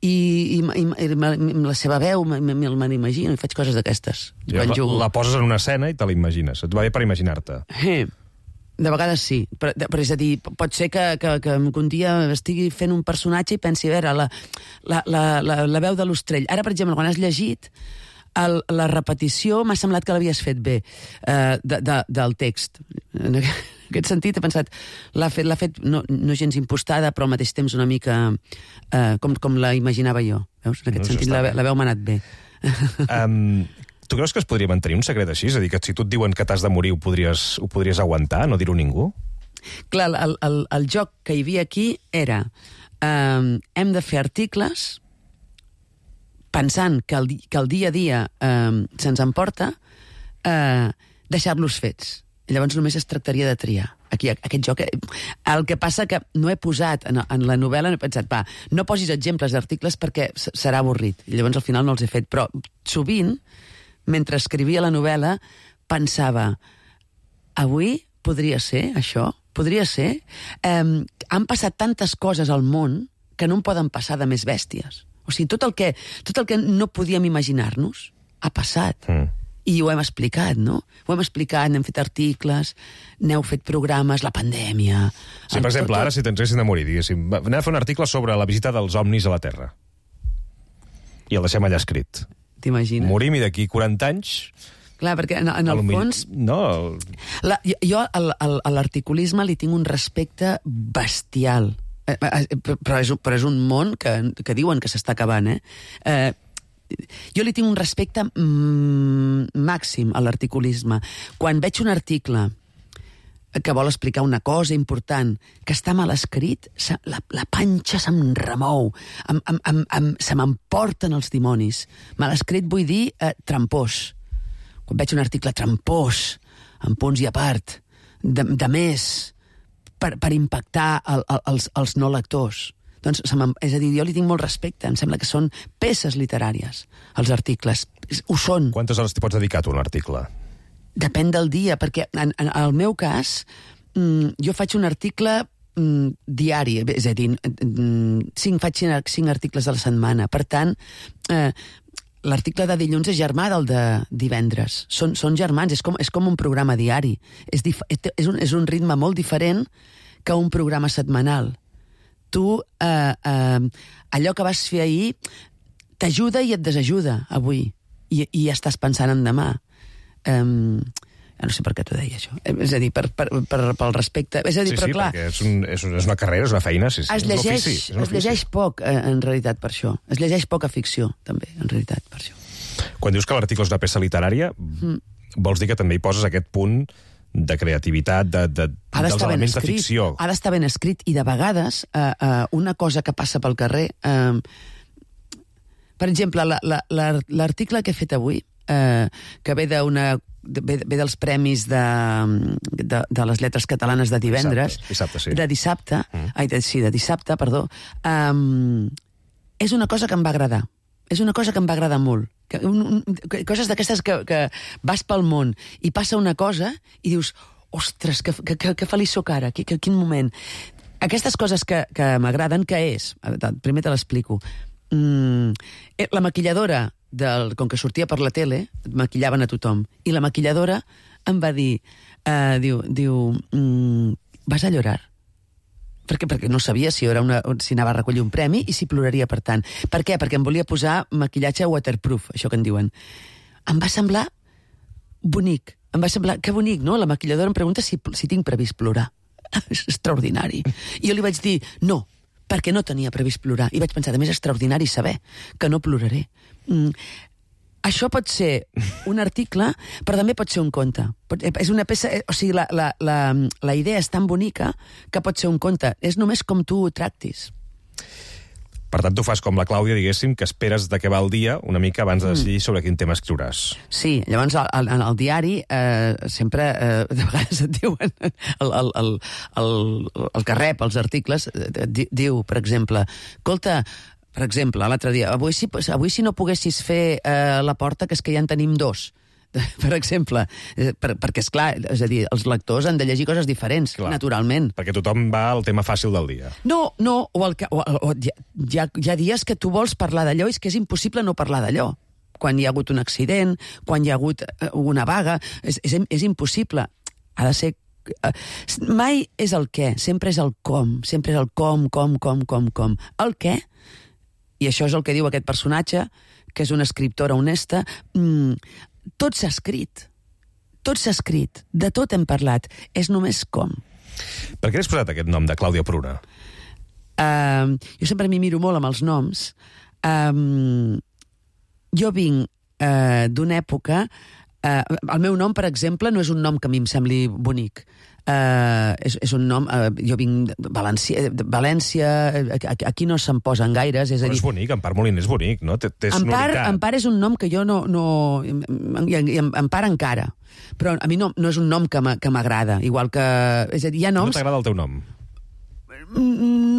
i amb la seva veu me l'imagino i faig coses d'aquestes. La poses en una escena i te la imagines. Et va bé per imaginar-te. De vegades sí, però és a dir, pot ser que un dia estigui fent un personatge i pensi, a veure, la veu de l'Ostrell. Ara, per exemple, quan has llegit, la repetició m'ha semblat que l'havies fet bé, del text. En aquest sentit he pensat, l'ha fet no gens impostada, però al mateix temps una mica com la imaginava jo. Veus? En aquest sentit la veu m'ha anat bé. Tu creus que es podria mantenir un secret així? És a dir, que si tu et diuen que t'has de morir ho podries aguantar, no dir-ho a ningú? Clar, el joc que hi havia aquí era hem de fer articles pensant que el dia a dia se'ns emporta, deixar-los fets. Llavors només es tractaria de triar. Aquí, aquest joc... El que passa que no he posat en la novel·la, no he pensat, no posis exemples d'articles perquè serà avorrit. I llavors al final no els he fet. Però sovint, mentre escrivia la novel·la, pensava, avui podria ser això? Podria ser? Han passat tantes coses al món que no en poden passar de més bèsties. O sigui, tot el que no podíem imaginar-nos ha passat. I ho hem explicat, no? Ho hem explicat, n'hem fet articles, n'heu fet programes, la pandèmia... Sí, per exemple, ara si t'ensessin de morir, diguéssim, anem a fer un article sobre la visita dels ovnis a la Terra. I el deixem allà escrit. T'imagines? Morim i d'aquí 40 anys... Clar, perquè en el fons... No... Jo a l'articulisme li tinc un respecte bestial. Però és un món que diuen que s'està acabant, jo li tinc un respecte màxim a l'articulisme. Quan veig un article que vol explicar una cosa important, que està mal escrit, la panxa se'm remou, se m'emporten els dimonis. Mal escrit vull dir trampós. Quan veig un article trampós, amb punts i a part, de més, per impactar els no lectors. Doncs, és a dir, jo li tinc molt respecte. Em sembla que són peces literàries, els articles. Ho són. Quantes hores t'hi pots dedicar a un article? Depèn del dia, perquè en el meu cas, jo faig un article diari, és a dir, faig 5 articles a la setmana. Per tant, l'article de dilluns és germà del de divendres. Són germans, és com un programa diari. És un ritme molt diferent que un programa setmanal. Tu, allò que vas fer ahir, t'ajuda i et desajuda avui. I estàs pensant en demà. No sé per què t'ho deia, això. És a dir, pel respecte... És a dir, però clar... Sí, perquè és una carrera, és una feina, sí. Es llegeix poc, en realitat, per això. Es llegeix poca ficció, també, en realitat, per això. Quan dius que l'article és una peça literària, vols dir que també hi poses aquest punt de creativitat, dels elements de ficció. Ha d'estar ben escrit, i de vegades una cosa que passa pel carrer... Per exemple, l'article que he fet avui, que ve dels premis de les lletres catalanes de divendres... De dissabte, perdó. És una cosa que em va agradar. És una cosa que em va agradar molt. Coses d'aquestes que vas pel món i passa una cosa i dius, ostres, que feliç soc ara, quin moment. Aquestes coses que m'agraden, què és? Primer te l'explico. La maquilladora com que sortia per la tele, maquillaven a tothom. I la maquilladora em va dir, vas a llorar? Perquè no sabia si anava a recollir un premi i si ploraria per tant. Per què? Perquè em volia posar maquillatge waterproof, això que en diuen. Em va semblar bonic. Em va semblar, que bonic, no? La maquilladora em pregunta si tinc previst plorar. És extraordinari. I jo li vaig dir, no, perquè no tenia previst plorar. I vaig pensar, a més, extraordinari saber que no ploraré. Això pot ser un article, però també pot ser un conte. És una peça... O sigui, la idea és tan bonica que pot ser un conte. És només com tu ho tractis. Per tant, tu fas com la Clàudia, diguéssim, que esperes de què va el dia una mica abans de decidir sobre quin tema escriuràs. Sí, llavors en el diari sempre, de vegades et diuen, el que rep els articles diu, per exemple, escolta, per exemple, l'altre dia, avui si no poguessis fer la porta, que és que ja en tenim dos, per exemple, perquè, esclar, és a dir, els lectors han de llegir coses diferents, clar, naturalment. Perquè tothom va al tema fàcil del dia. No, hi ha dies que tu vols parlar d'allò i és que és impossible no parlar d'allò. Quan hi ha hagut un accident, quan hi ha hagut una vaga, és impossible. Ha de ser... Mai és el què, sempre és el com, sempre és el com. El què, i això és el que diu aquest personatge, que és una escriptora honesta, tot s'ha escrit, de tot hem parlat, és només com. Per què has posat aquest nom de Clàudia Pruna? Jo sempre m'hi miro molt amb els noms. Jo vinc d'una època... el meu nom, per exemple, no és un nom que a mi em sembli bonic. És un nom... jo vinc de València, aquí no se'n posen gaires, és a dir... Però és bonic, Empar Moliner és bonic, no? Té sonoritat. Empar és un nom que jo no... I Empar encara. Però a mi no és un nom que m'agrada, igual que... És a dir, hi ha noms... No t'agrada el teu nom?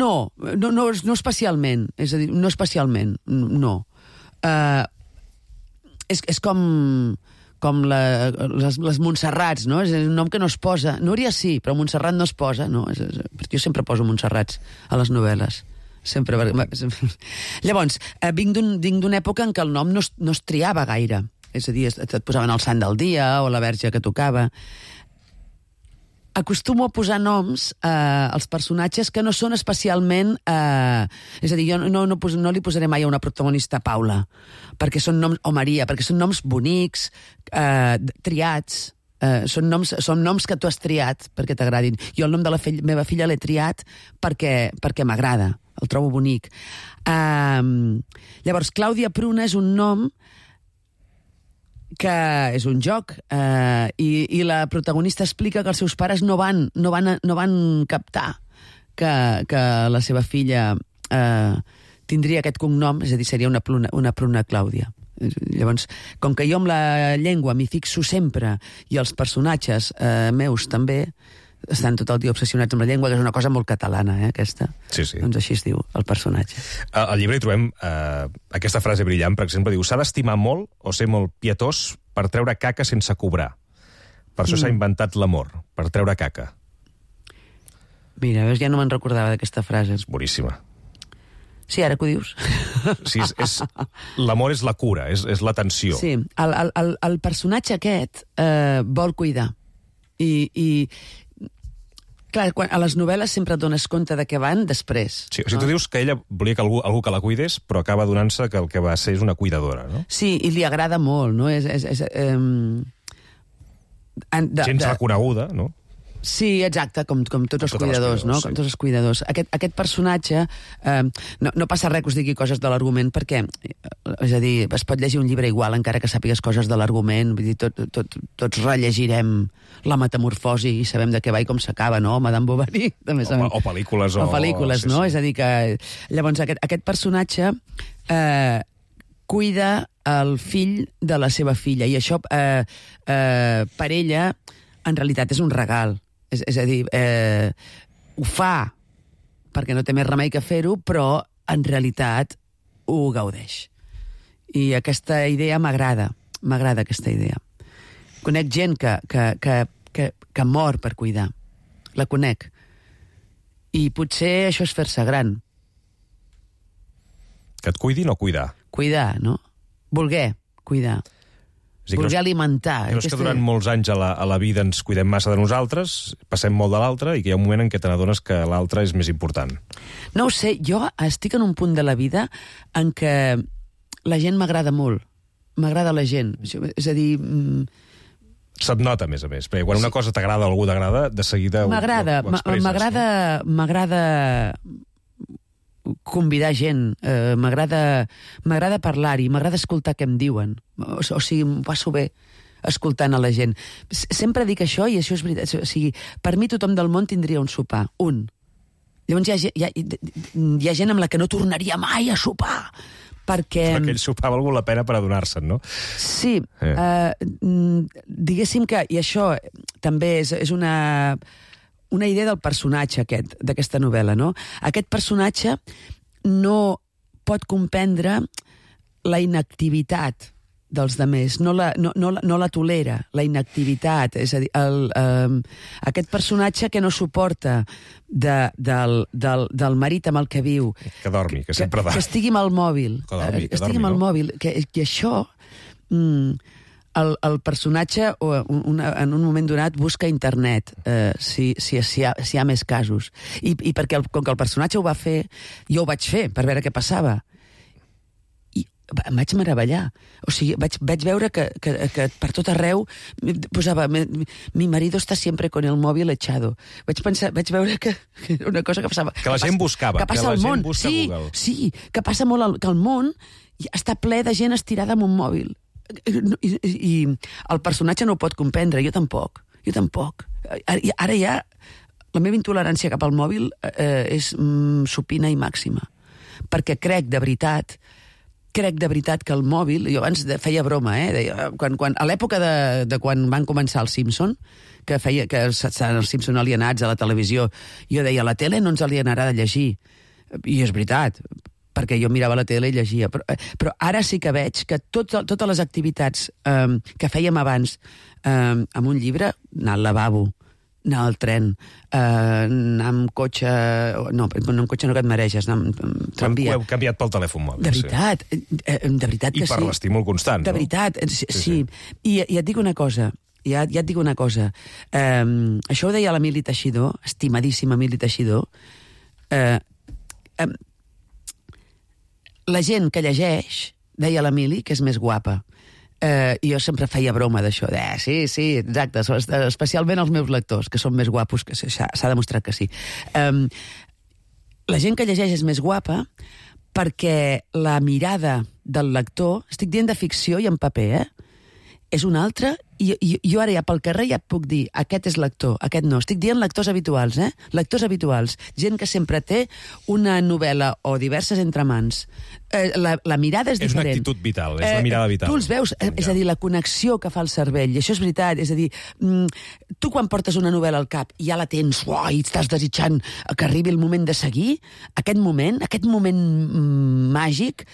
No especialment. És a dir, no especialment, no. És com les Montserrats, no? És un nom que no es posa. Núria sí, però Montserrat no es posa. No, jo sempre poso Montserrats a les novel·les. Sempre. Llavors, vinc d'una època en què el nom no es triava gaire. És a dir, et posaven el sant del dia o la verge que tocava. Acostumo a posar noms als personatges que no són especialment... és a dir, jo no li posaré mai a una protagonista Paula, perquè són noms, o Maria, perquè són noms bonics, triats, són noms que tu has triat perquè t'agradin. Jo el nom de la meva filla l'he triat perquè m'agrada, el trobo bonic. Llavors, Clàudia Pruna és un nom que és un joc, i la protagonista explica que els seus pares no van captar que la seva filla tindria aquest cognom, és a dir, seria una Pruna Clàudia. Llavors, com que jo amb la llengua m'hi fixo sempre, i els personatges meus també estan tot el dia obsessionats amb la llengua, que és una cosa molt catalana, aquesta. Sí. Doncs així es diu, el personatge. Al llibre hi trobem aquesta frase brillant, per exemple, diu: s'ha d'estimar molt o ser molt pietós per treure caca sense cobrar. Per això s'ha inventat l'amor, per treure caca. Mira, veus, ja no me'n recordava d'aquesta frase. És boníssima. Sí, ara que ho dius. Sí, l'amor és la cura, és l'atenció. Sí, el personatge aquest vol cuidar. I clar, a les novel·les sempre et dones compte de què van després. Sí, o sigui, tu dius que ella volia que algú que la cuidés, però acaba donant-se que el que va ser és una cuidadora, no? Sí, i li agrada molt, no? Gens reconeguda, no? Sí, exacte, com tots els cuidadors, no? Com tots els cuidadors. Aquest personatge, no passa res que us digui coses de l'argument, perquè, és a dir, es pot llegir un llibre igual encara que sàpigues coses de l'argument, vull dir, tots rellegirem La metamorfosi i sabem de què va i com s'acaba, no? Madame Bovary, també sabem. O pel·lícules. O pel·lícules, no? És a dir, que... Llavors, aquest personatge cuida el fill de la seva filla, i això, per ella, en realitat és un regal. És a dir, ho fa perquè no té més remei que fer-ho, però en realitat ho gaudeix. I aquesta idea m'agrada aquesta idea. Conec gent que mor per cuidar. La conec. I potser això és fer-se gran. Que et cuidin o cuidar? Cuidar, no? voler cuidar. Voler alimentar. Creus que durant molts anys a la vida ens cuidem massa de nosaltres, passem molt de l'altre, i que hi ha un moment en què te n'adones que l'altre és més important? No ho sé, jo estic en un punt de la vida en què la gent m'agrada molt. M'agrada la gent. És a dir... Se't nota, a més, perquè quan una cosa t'agrada o algú t'agrada, de seguida ho expresses. M'agrada convidar gent, m'agrada parlar-hi, m'agrada escoltar què em diuen. O sigui, m'ho passo bé escoltant a la gent. Sempre dic això, i això és veritat. O sigui, per mi tothom del món tindria un sopar, un. Llavors hi ha gent amb la que no tornaria mai a sopar, perquè... Però aquell sopar ha valgut la pena per adonar-se'n, no? Sí. Diguéssim que, i això també és una idea del personatge d'aquesta novel·la, no? Aquest personatge no pot comprendre la inactivitat dels demés, no la tolera, la inactivitat. És a dir, aquest personatge que no suporta del marit amb el que viu. Que dormi, que sempre dormi. Que estigui amb el mòbil. Que estigui amb el mòbil. Que això... El personatge en un moment donat busca a internet si hi ha més casos. I perquè com que el personatge ho va fer, jo ho vaig fer per veure què passava. I em vaig meravellar. O sigui, vaig veure que per tot arreu posava mi marido está siempre con el móvil echado. Vaig veure que era una cosa que passava. Que la gent buscava. Que passa al món. Google. Sí, que passa molt que el món està ple de gent estirada amb un mòbil. I el personatge no ho pot comprendre, jo tampoc. Ara ja la meva intolerància cap al mòbil és supina i màxima, perquè crec de veritat que el mòbil, jo abans feia broma, deia, a l'època de quan van començar els Simpson, que estaven els Simpson alienats a la televisió, jo deia, la tele no ens alienarà de llegir, i és veritat, perquè jo mirava la tele i llegia. Però ara sí que veig que totes les activitats que fèiem abans amb un llibre, anar al lavabo, anar al tren, anar amb cotxe... No, amb cotxe no, que et mareges, anar amb tramvia. Ho heu canviat pel telèfon mòbil. De veritat que sí. I per l'estímul constant, no? De veritat, sí. I et dic una cosa, això ho deia l'Emili Teixidor, estimadíssim Emili Teixidor, la gent que llegeix, deia l'Emili, que és més guapa. I jo sempre feia broma d'això, sí, exacte, especialment els meus lectors, que són més guapos, que s'ha demostrat que sí. La gent que llegeix és més guapa perquè la mirada del lector, estic dient de ficció i en paper, és una altra, i jo ara ja pel carrer ja et puc dir, aquest és lector, aquest no. Estic dient lectors habituals, lectors habituals. Gent que sempre té una novel·la o diverses entre mans. La mirada és diferent. És una actitud vital, és una mirada vital. Tu els veus, és a dir, la connexió que fa el cervell, i això és veritat, és a dir, tu quan portes una novel·la al cap i ja la tens, i estàs desitjant que arribi el moment de seguir, aquest moment màgic,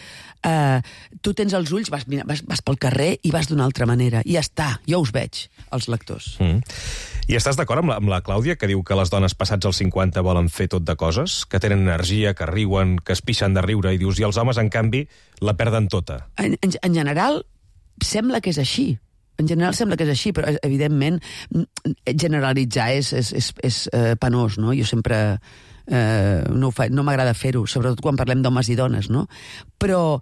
tu tens els ulls, vas pel carrer i vas d'una altra manera, i ja està, jo us veig, els lectors. I estàs d'acord amb la Clàudia, que diu que les dones passats els 50 volen fer tot de coses, que tenen energia, que riuen, que es pixen de riure, i dius, i els homes, en canvi, la perden tota? En general, sembla que és així. Però, evidentment, generalitzar és penós, no? Jo sempre... no m'agrada fer-ho, sobretot quan parlem d'homes i dones, no? Però,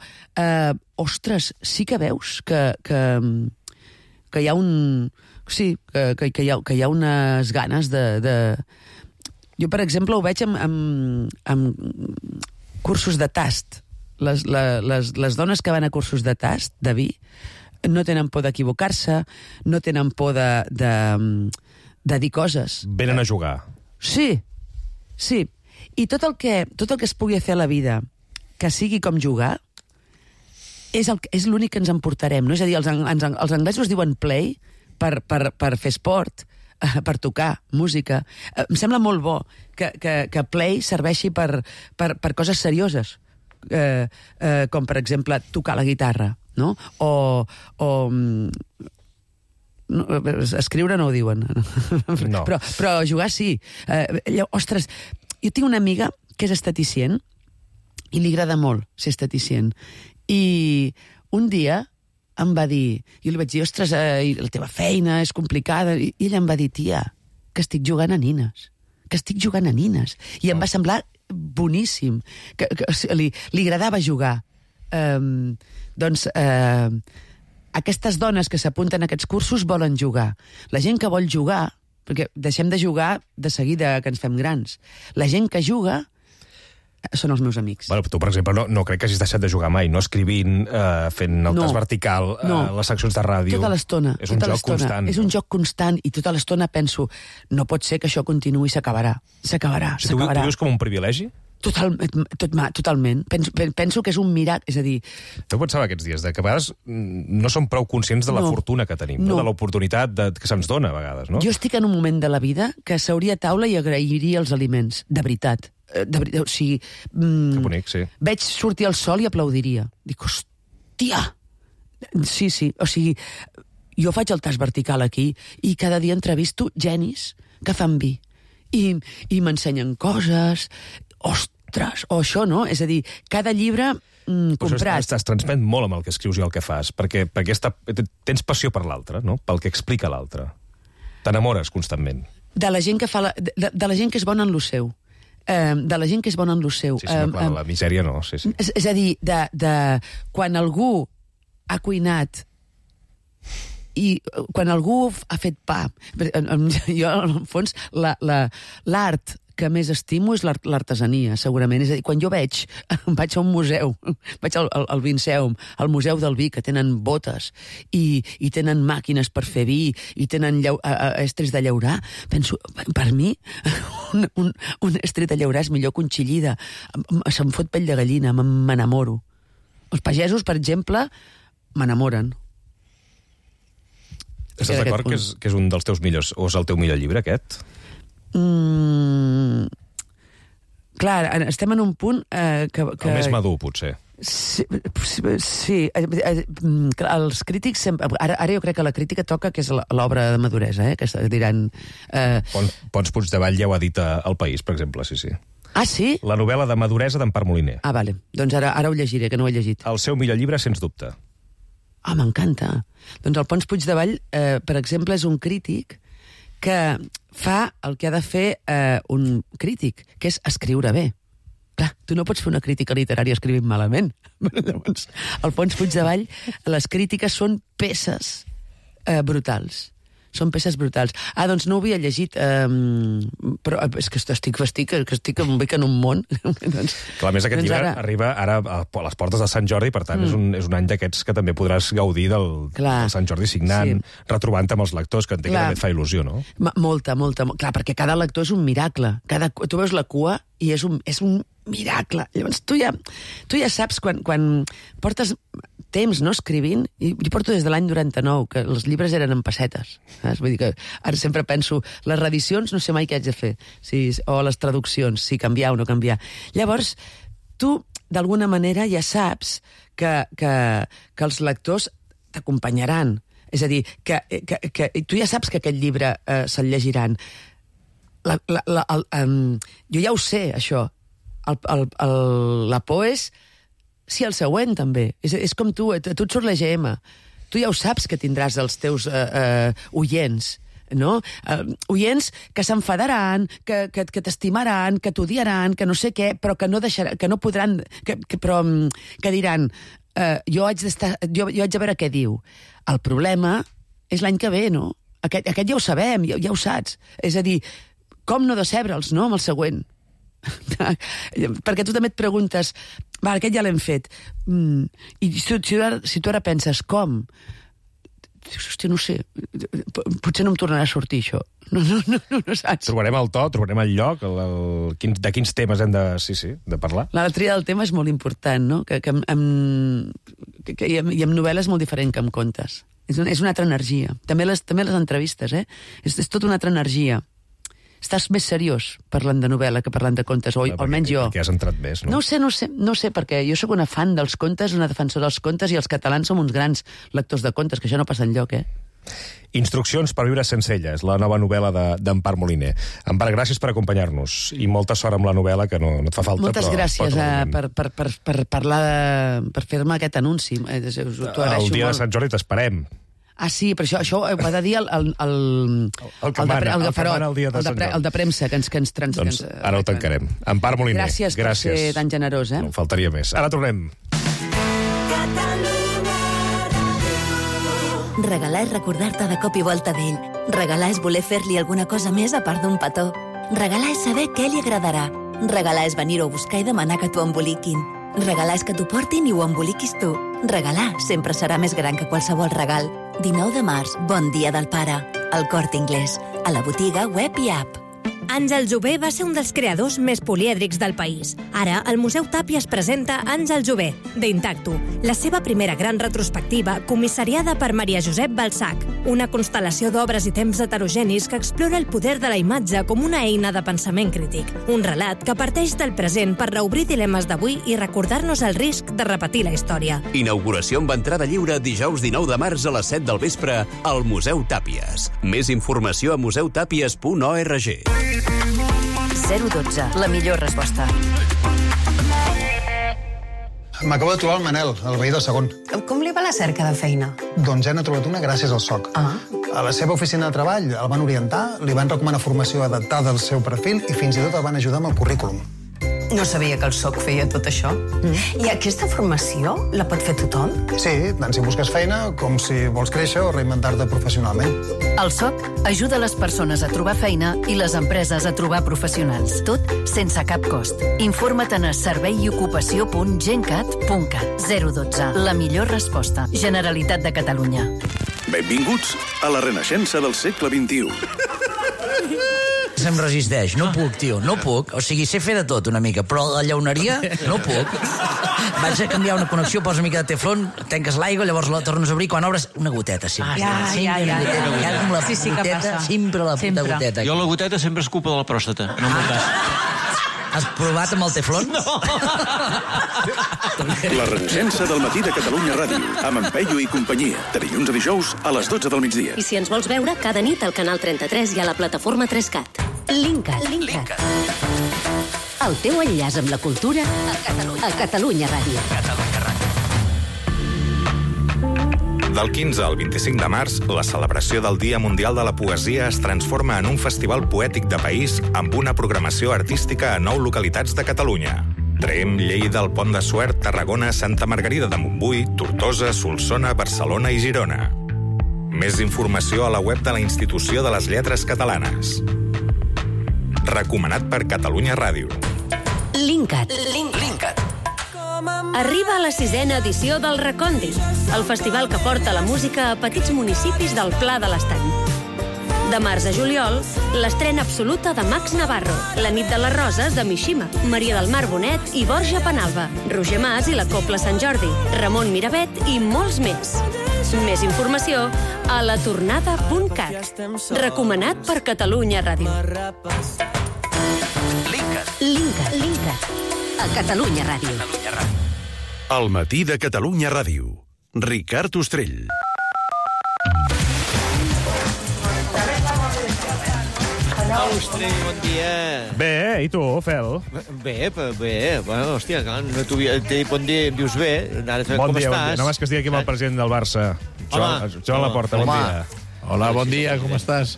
ostres, sí que veus que hi ha un... Sí, que hi ha unes ganes de... Jo, per exemple, ho veig amb cursos de tast. Les dones que van a cursos de tast, de vi, no tenen por d'equivocar-se, no tenen por de dir coses. Venen a jugar. Sí. I tot el que es pugui fer a la vida que sigui com jugar és l'únic que ens emportarem, no? És a dir, els anglesos diuen play per fer esport, per tocar música. Em sembla molt bo que play serveixi per coses serioses, com per exemple tocar la guitarra, no? Escriure no ho diuen. No. Però jugar sí. Ostres, jo tinc una amiga que és esteticient i li agrada molt ser esteticient. I un dia em va dir... Jo li vaig dir, ostres, la teva feina és complicada. I ella em va dir, tia, que estic jugant a nines. I em va semblar boníssim. Que li agradava jugar. Aquestes dones que s'apunten a aquests cursos volen jugar. La gent que vol jugar, perquè deixem de jugar de seguida que ens fem grans. La gent que juga són els meus amics. Bueno, tu, per exemple, no crec que hagis deixat de jugar mai, no escrivint, fent el tas vertical, les seccions de ràdio. Tota l'estona. És un joc constant. És un joc constant i tota l'estona penso, no pot ser que això continuï, s'acabarà. Tu vius com un privilegi? Totalment. Penso que és un miracle, és a dir... Tu pensava aquests dies que a vegades no som prou conscients de la fortuna que tenim, de l'oportunitat que se'ns dona a vegades, no? Jo estic en un moment de la vida que seuria a taula i agrairia els aliments, de veritat. O sigui... Que bonic, sí. Veig sortir el sol i aplaudiria. Dic, hòstia! Sí, o sigui, jo faig el tas vertical aquí i cada dia entrevisto genis que fan vi. I m'ensenyen coses... Ostres, o això, no? És a dir, cada llibre comprat... Estàs transmet molt amb el que escrius i el que fas, perquè tens passió per l'altre, no? Pel que explica l'altre. T'enamores constantment. De la gent que fa de la gent que és bona en lo seu. De la gent que és bona en lo seu. Sí, clar, la misèria no, sí. És a dir, de quan algú ha cuinat i quan algú ha fet pa... Jo, en fons, l'art que més estimo és l'artesania, segurament. És a dir, quan jo vaig a un museu, vaig al Vinceum, al Museu del Vi, que tenen botes i tenen màquines per fer vi i tenen estris de llaurar, penso, per mi, un estri de llaurar és millor que un xillida. Se'm fot pell de gallina, m'enamoro. Els pagesos, per exemple, m'enamoren. Estàs d'acord que és un dels teus millors, o és el teu millor llibre, aquest? Clar, estem en un punt que... El més madur, potser. Sí. Els crítics... Ara jo crec que la crítica toca que és l'obra de maduresa, que diran... Pons Puigdevall ja ho ha dit al País, per exemple, sí. Ah, sí? La novel·la de maduresa d'Empar Moliner. Ah, vale. Doncs ara ho llegiré, que no ho he llegit. El seu millor llibre, sens dubte. Ah, m'encanta. Doncs el Pons Puigdevall, per exemple, és un crític que fa el que ha de fer un crític, que és escriure bé. Clar, tu no pots fer una crítica literària escrivint malament. Llavors, al Pons Puigdevall, les crítiques són peces brutals. Són peces brutals. Ah, doncs no ho havia llegit, però és que estic en un món. Clar, a més, aquest llibre arriba ara a les portes de Sant Jordi, per tant, és un any d'aquests que també podràs gaudir del Sant Jordi signant, retrobant-te amb els lectors, que entenc que també et fa il·lusió, no? Molta. Clar, perquè cada lector és un miracle. Tu veus la cua i és un miracle. Llavors, tu ja saps, quan portes temps no escrivint, i jo porto des de l'any 99, que els llibres eren en pessetes. Saps? Vull dir que ara sempre penso, les reedicions no sé mai què haig de fer, o les traduccions, si canviar o no canviar. Llavors, tu, d'alguna manera, ja saps que els lectors t'acompanyaran. És a dir, que tu ja saps que aquest llibre se'l llegiran. Jo ja ho sé, això. La por és sí, el següent, també. És com tu et surt la GM. Tu ja ho saps que tindràs els teus oients, no? Oients que s'enfadaran, que t'estimaran, que t'odiaran, que no sé què, però que no deixaran, que no podran, que diran, jo haig de veure què diu. El problema és l'any que ve, no? Aquest ja ho sabem, ja ho saps. És a dir, com no decebre'ls, no?, amb el següent. Perquè tu també et preguntes, aquest ja l'hem fet, i si tu ara penses com, hòstia, no sé, potser no em tornarà a sortir això. No saps. Trobarem el to, trobarem el lloc, de quins temes hem de parlar. La tria del tema és molt important, no? I amb novel·la és molt diferent que amb contes. És una altra energia. També les entrevistes, és tota una altra energia. Estàs més seriós parlant de novel·la que parlant de contes, o almenys jo. Perquè has entrat més, no? No sé, perquè jo sóc una fan dels contes, una defensora dels contes, i els catalans som uns grans lectors de contes, que això no passa enlloc, Instruccions per viure sense ella, és la nova novel·la d'Empar Moliner. Empar, gràcies per acompanyar-nos i molta sort amb la novel·la, que no et fa falta. Moltes gràcies per parlar, per fer-me aquest anunci. El dia de Sant Jordi t'esperem. Ah, sí, però això ho ha de dir el de premsa que ens Doncs ara ho tancarem. Empar Moliner, gràcies per ser tan generós, No faltaria més. Ara tornem. Regalar és recordar-te de cop i volta d'ell. Regalar és voler fer-li alguna cosa més a part d'un petó. Regalar és saber què li agradarà. Regalar és venir-ho a buscar i demanar que t'ho emboliquin. Regalar és que t'ho portin i ho emboliquis tu. Regalar sempre serà més gran que qualsevol regal. 19 de març, bon dia del pare. El Corte Inglés. A la botiga, web i app. Àngel Jové va ser un dels creadors més polièdrics del país. Ara, el Museu Tàpies presenta Àngel Jové, d'Intacto, la seva primera gran retrospectiva, comissariada per Maria Josep Balzac, una constel·lació d'obres i temps heterogenis que explora el poder de la imatge com una eina de pensament crític. Un relat que parteix del present per reobrir dilemes d'avui i recordar-nos el risc de repetir la història. Inauguració amb entrada lliure dijous 19 de març a les 7 del vespre al Museu Tàpies. Més informació a museutàpies.org. 012, la millor resposta. M'acabo de trobar el Manel, el veí del segon. Com li va la cerca de feina? Doncs ja n'ha trobat una gràcies al SOC. A la seva oficina de treball el van orientar, li van recomanar formació adaptada al seu perfil i fins i tot el van ajudar amb el currículum. No sabia que el SOC feia tot això. I aquesta formació la pot fer tothom? Sí, tant si busques feina com si vols créixer o reinventar-te professionalment. El SOC ajuda les persones a trobar feina i les empreses a trobar professionals. Tot sense cap cost. Informa't a serveiocupació.gencat.cat. 012. La millor resposta. Generalitat de Catalunya. Benvinguts a la renaixença del segle XXI. Se'm resisteix, no puc, tio, no puc. O sigui, sé fer de tot una mica, però la llauneria no puc. Vaig a canviar una connexió, posa una mica de teflon, tanques l'aigua, llavors la tornes a obrir, quan obres, una goteta, sempre. Ja. Com la goteta, sempre la puta goteta. Jo la goteta sempre és culpa de la pròstata, no m'ho cas. Has provat amb el teflon? No! La renaixença del matí de Catalunya Ràdio, amb en Peyu i companyia, de dilluns a dijous a les 12 del migdia. I si ens vols veure, cada nit al canal 33 i a la plataforma 3CAT. Linkat. El teu enllaç amb la cultura a Catalunya Ràdio. Del 15 al 25 de març, la celebració del Dia Mundial de la Poesia es transforma en un festival poètic de país amb una programació artística a 9 localitats de Catalunya. Tremp, Lleida, el Pont de Suert, Tarragona, Santa Margarida de Montbui, Tortosa, Solsona, Barcelona i Girona. Més informació a la web de la Institució de les Lletres Catalanes. Recomanat per Catalunya Ràdio. Linkat. Arriba a la 6ª edició del Recondi, el festival que porta la música a petits municipis del Pla de l'Estany. De març a juliol, l'estrena absoluta de Max Navarro, La nit de les roses de Mishima, Maria del Mar Bonet i Borja Penalba, Roger Mas i la Cobla Sant Jordi, Ramon Miravet i molts més. Més informació a latornada.cat. Recomanat per Catalunya Ràdio. Linkat. A Catalunya Ràdio. El matí de Catalunya Ràdio. Ricard Ostrell. Ostrell, bon dia. Bé, i tu, Fel? Bé. Bueno, hòstia, clar, no t'he dit bon dia, em dius bé. Ara Bon com dia. estàs? Només que estigui aquí amb el president del Barça. Joan Laporta, bon dia. Hola, bon dia, com estàs?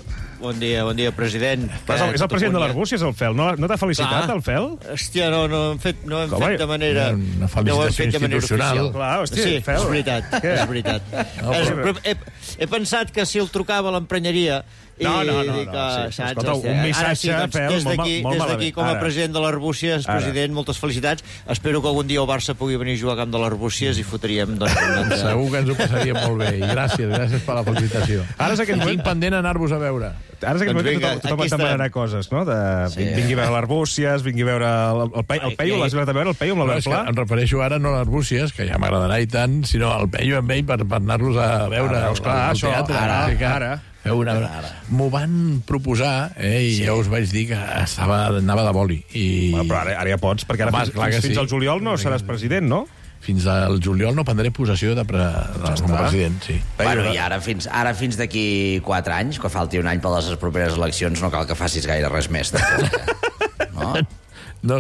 Bon dia, president. És el president de l'Arbúcies, el Fel. No t'ha felicitat, el Fel? Hòstia, no hem fet de manera... Una felicitació institucional. Clar, hòstia, sí, Fel. és veritat. Però he pensat que si el trucava a l'emprenyeria... No. Escolta, un missatge, Fel, molt malament. Des d'aquí, com a president de l'Arbúcies, president, moltes felicitats. Espero que algun dia el Barça pugui venir a jugar a camp de l'Arbúcies i fotríem... Segur que ens ho passaríem molt bé. I gràcies per la felicitació. Tinc pendent anar-vos a veure. Ara és aquest moment que tothom et demanarà coses, no? Vingui a veure l'Arbúcies, vingui a veure el Peyu, l'has anat a veure, el Peyu amb l'Albert Pla? Em refereixo ara no a l'Arbúcies, que ja m'agradarà i tant, sinó al Peyu amb ell per anar-los a veure al teatre. Ara. M'ho van proposar, i ja us vaig dir que anava de boli. Però ara ja pots, perquè ara fins al juliol no seràs president, no? fins al juliol no prendré possessió com a president, sí. Bueno, i ara fins d'aquí 4 anys, que falti un any per les properes eleccions, no cal que facis gaire res més. No? No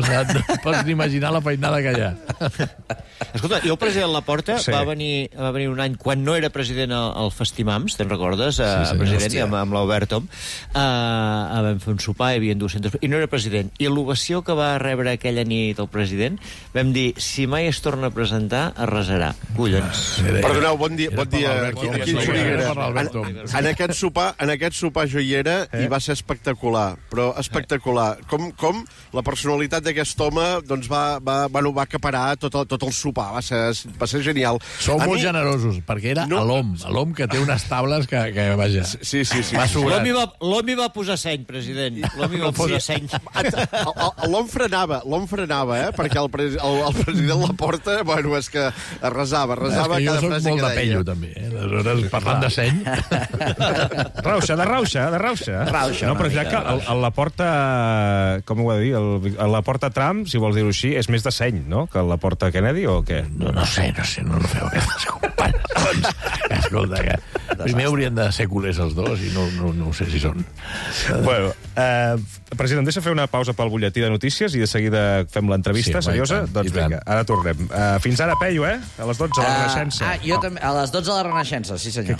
pots ni imaginar la feinada que hi ha. Escolta, jo el president Laporta va venir un any, quan no era president al Festimams, te'n recordes? President, amb l'Albert Tom. Vam fer un sopar, hi havia 200... I no era president. I l'ovació que va rebre aquella nit el president, vam dir, si mai es torna a presentar, arrasarà. Collons. Perdoneu, bon dia. Quin Xuriguera. En aquest sopar jo hi era i va ser espectacular, però espectacular. Com la personalitat d'aquest home doncs va acaparar tot el sopar, va ser genial. Sou molt generosos, perquè era l'hom que té unes tables que vaja. Sí. L'home va posar seny, president. L'home va posar seny. L'hom frenava, perquè el president Laporta, bueno, és que arrasava cada frase que deia. Jo soc molt de pello, també. Aleshores, parlant de seny... De rauxa. No, però ja que el Laporta, com ho va dir, el Laporta Trump, si vols dir-ho així, és més de seny, no?, que el Laporta Kennedy, o què? No sé, no feu aquestes comparacions. Escolta, que primer haurien de ser culers els dos i no sé si són. Bueno, president, deixa fer una pausa pel butlletí de notícies i de seguida fem l'entrevista seriosa? Doncs vinga, ara tornem. Fins ara, Peyu, a les 12 a la Renaixença. Jo també, a les 12 a la Renaixença, sí senyor.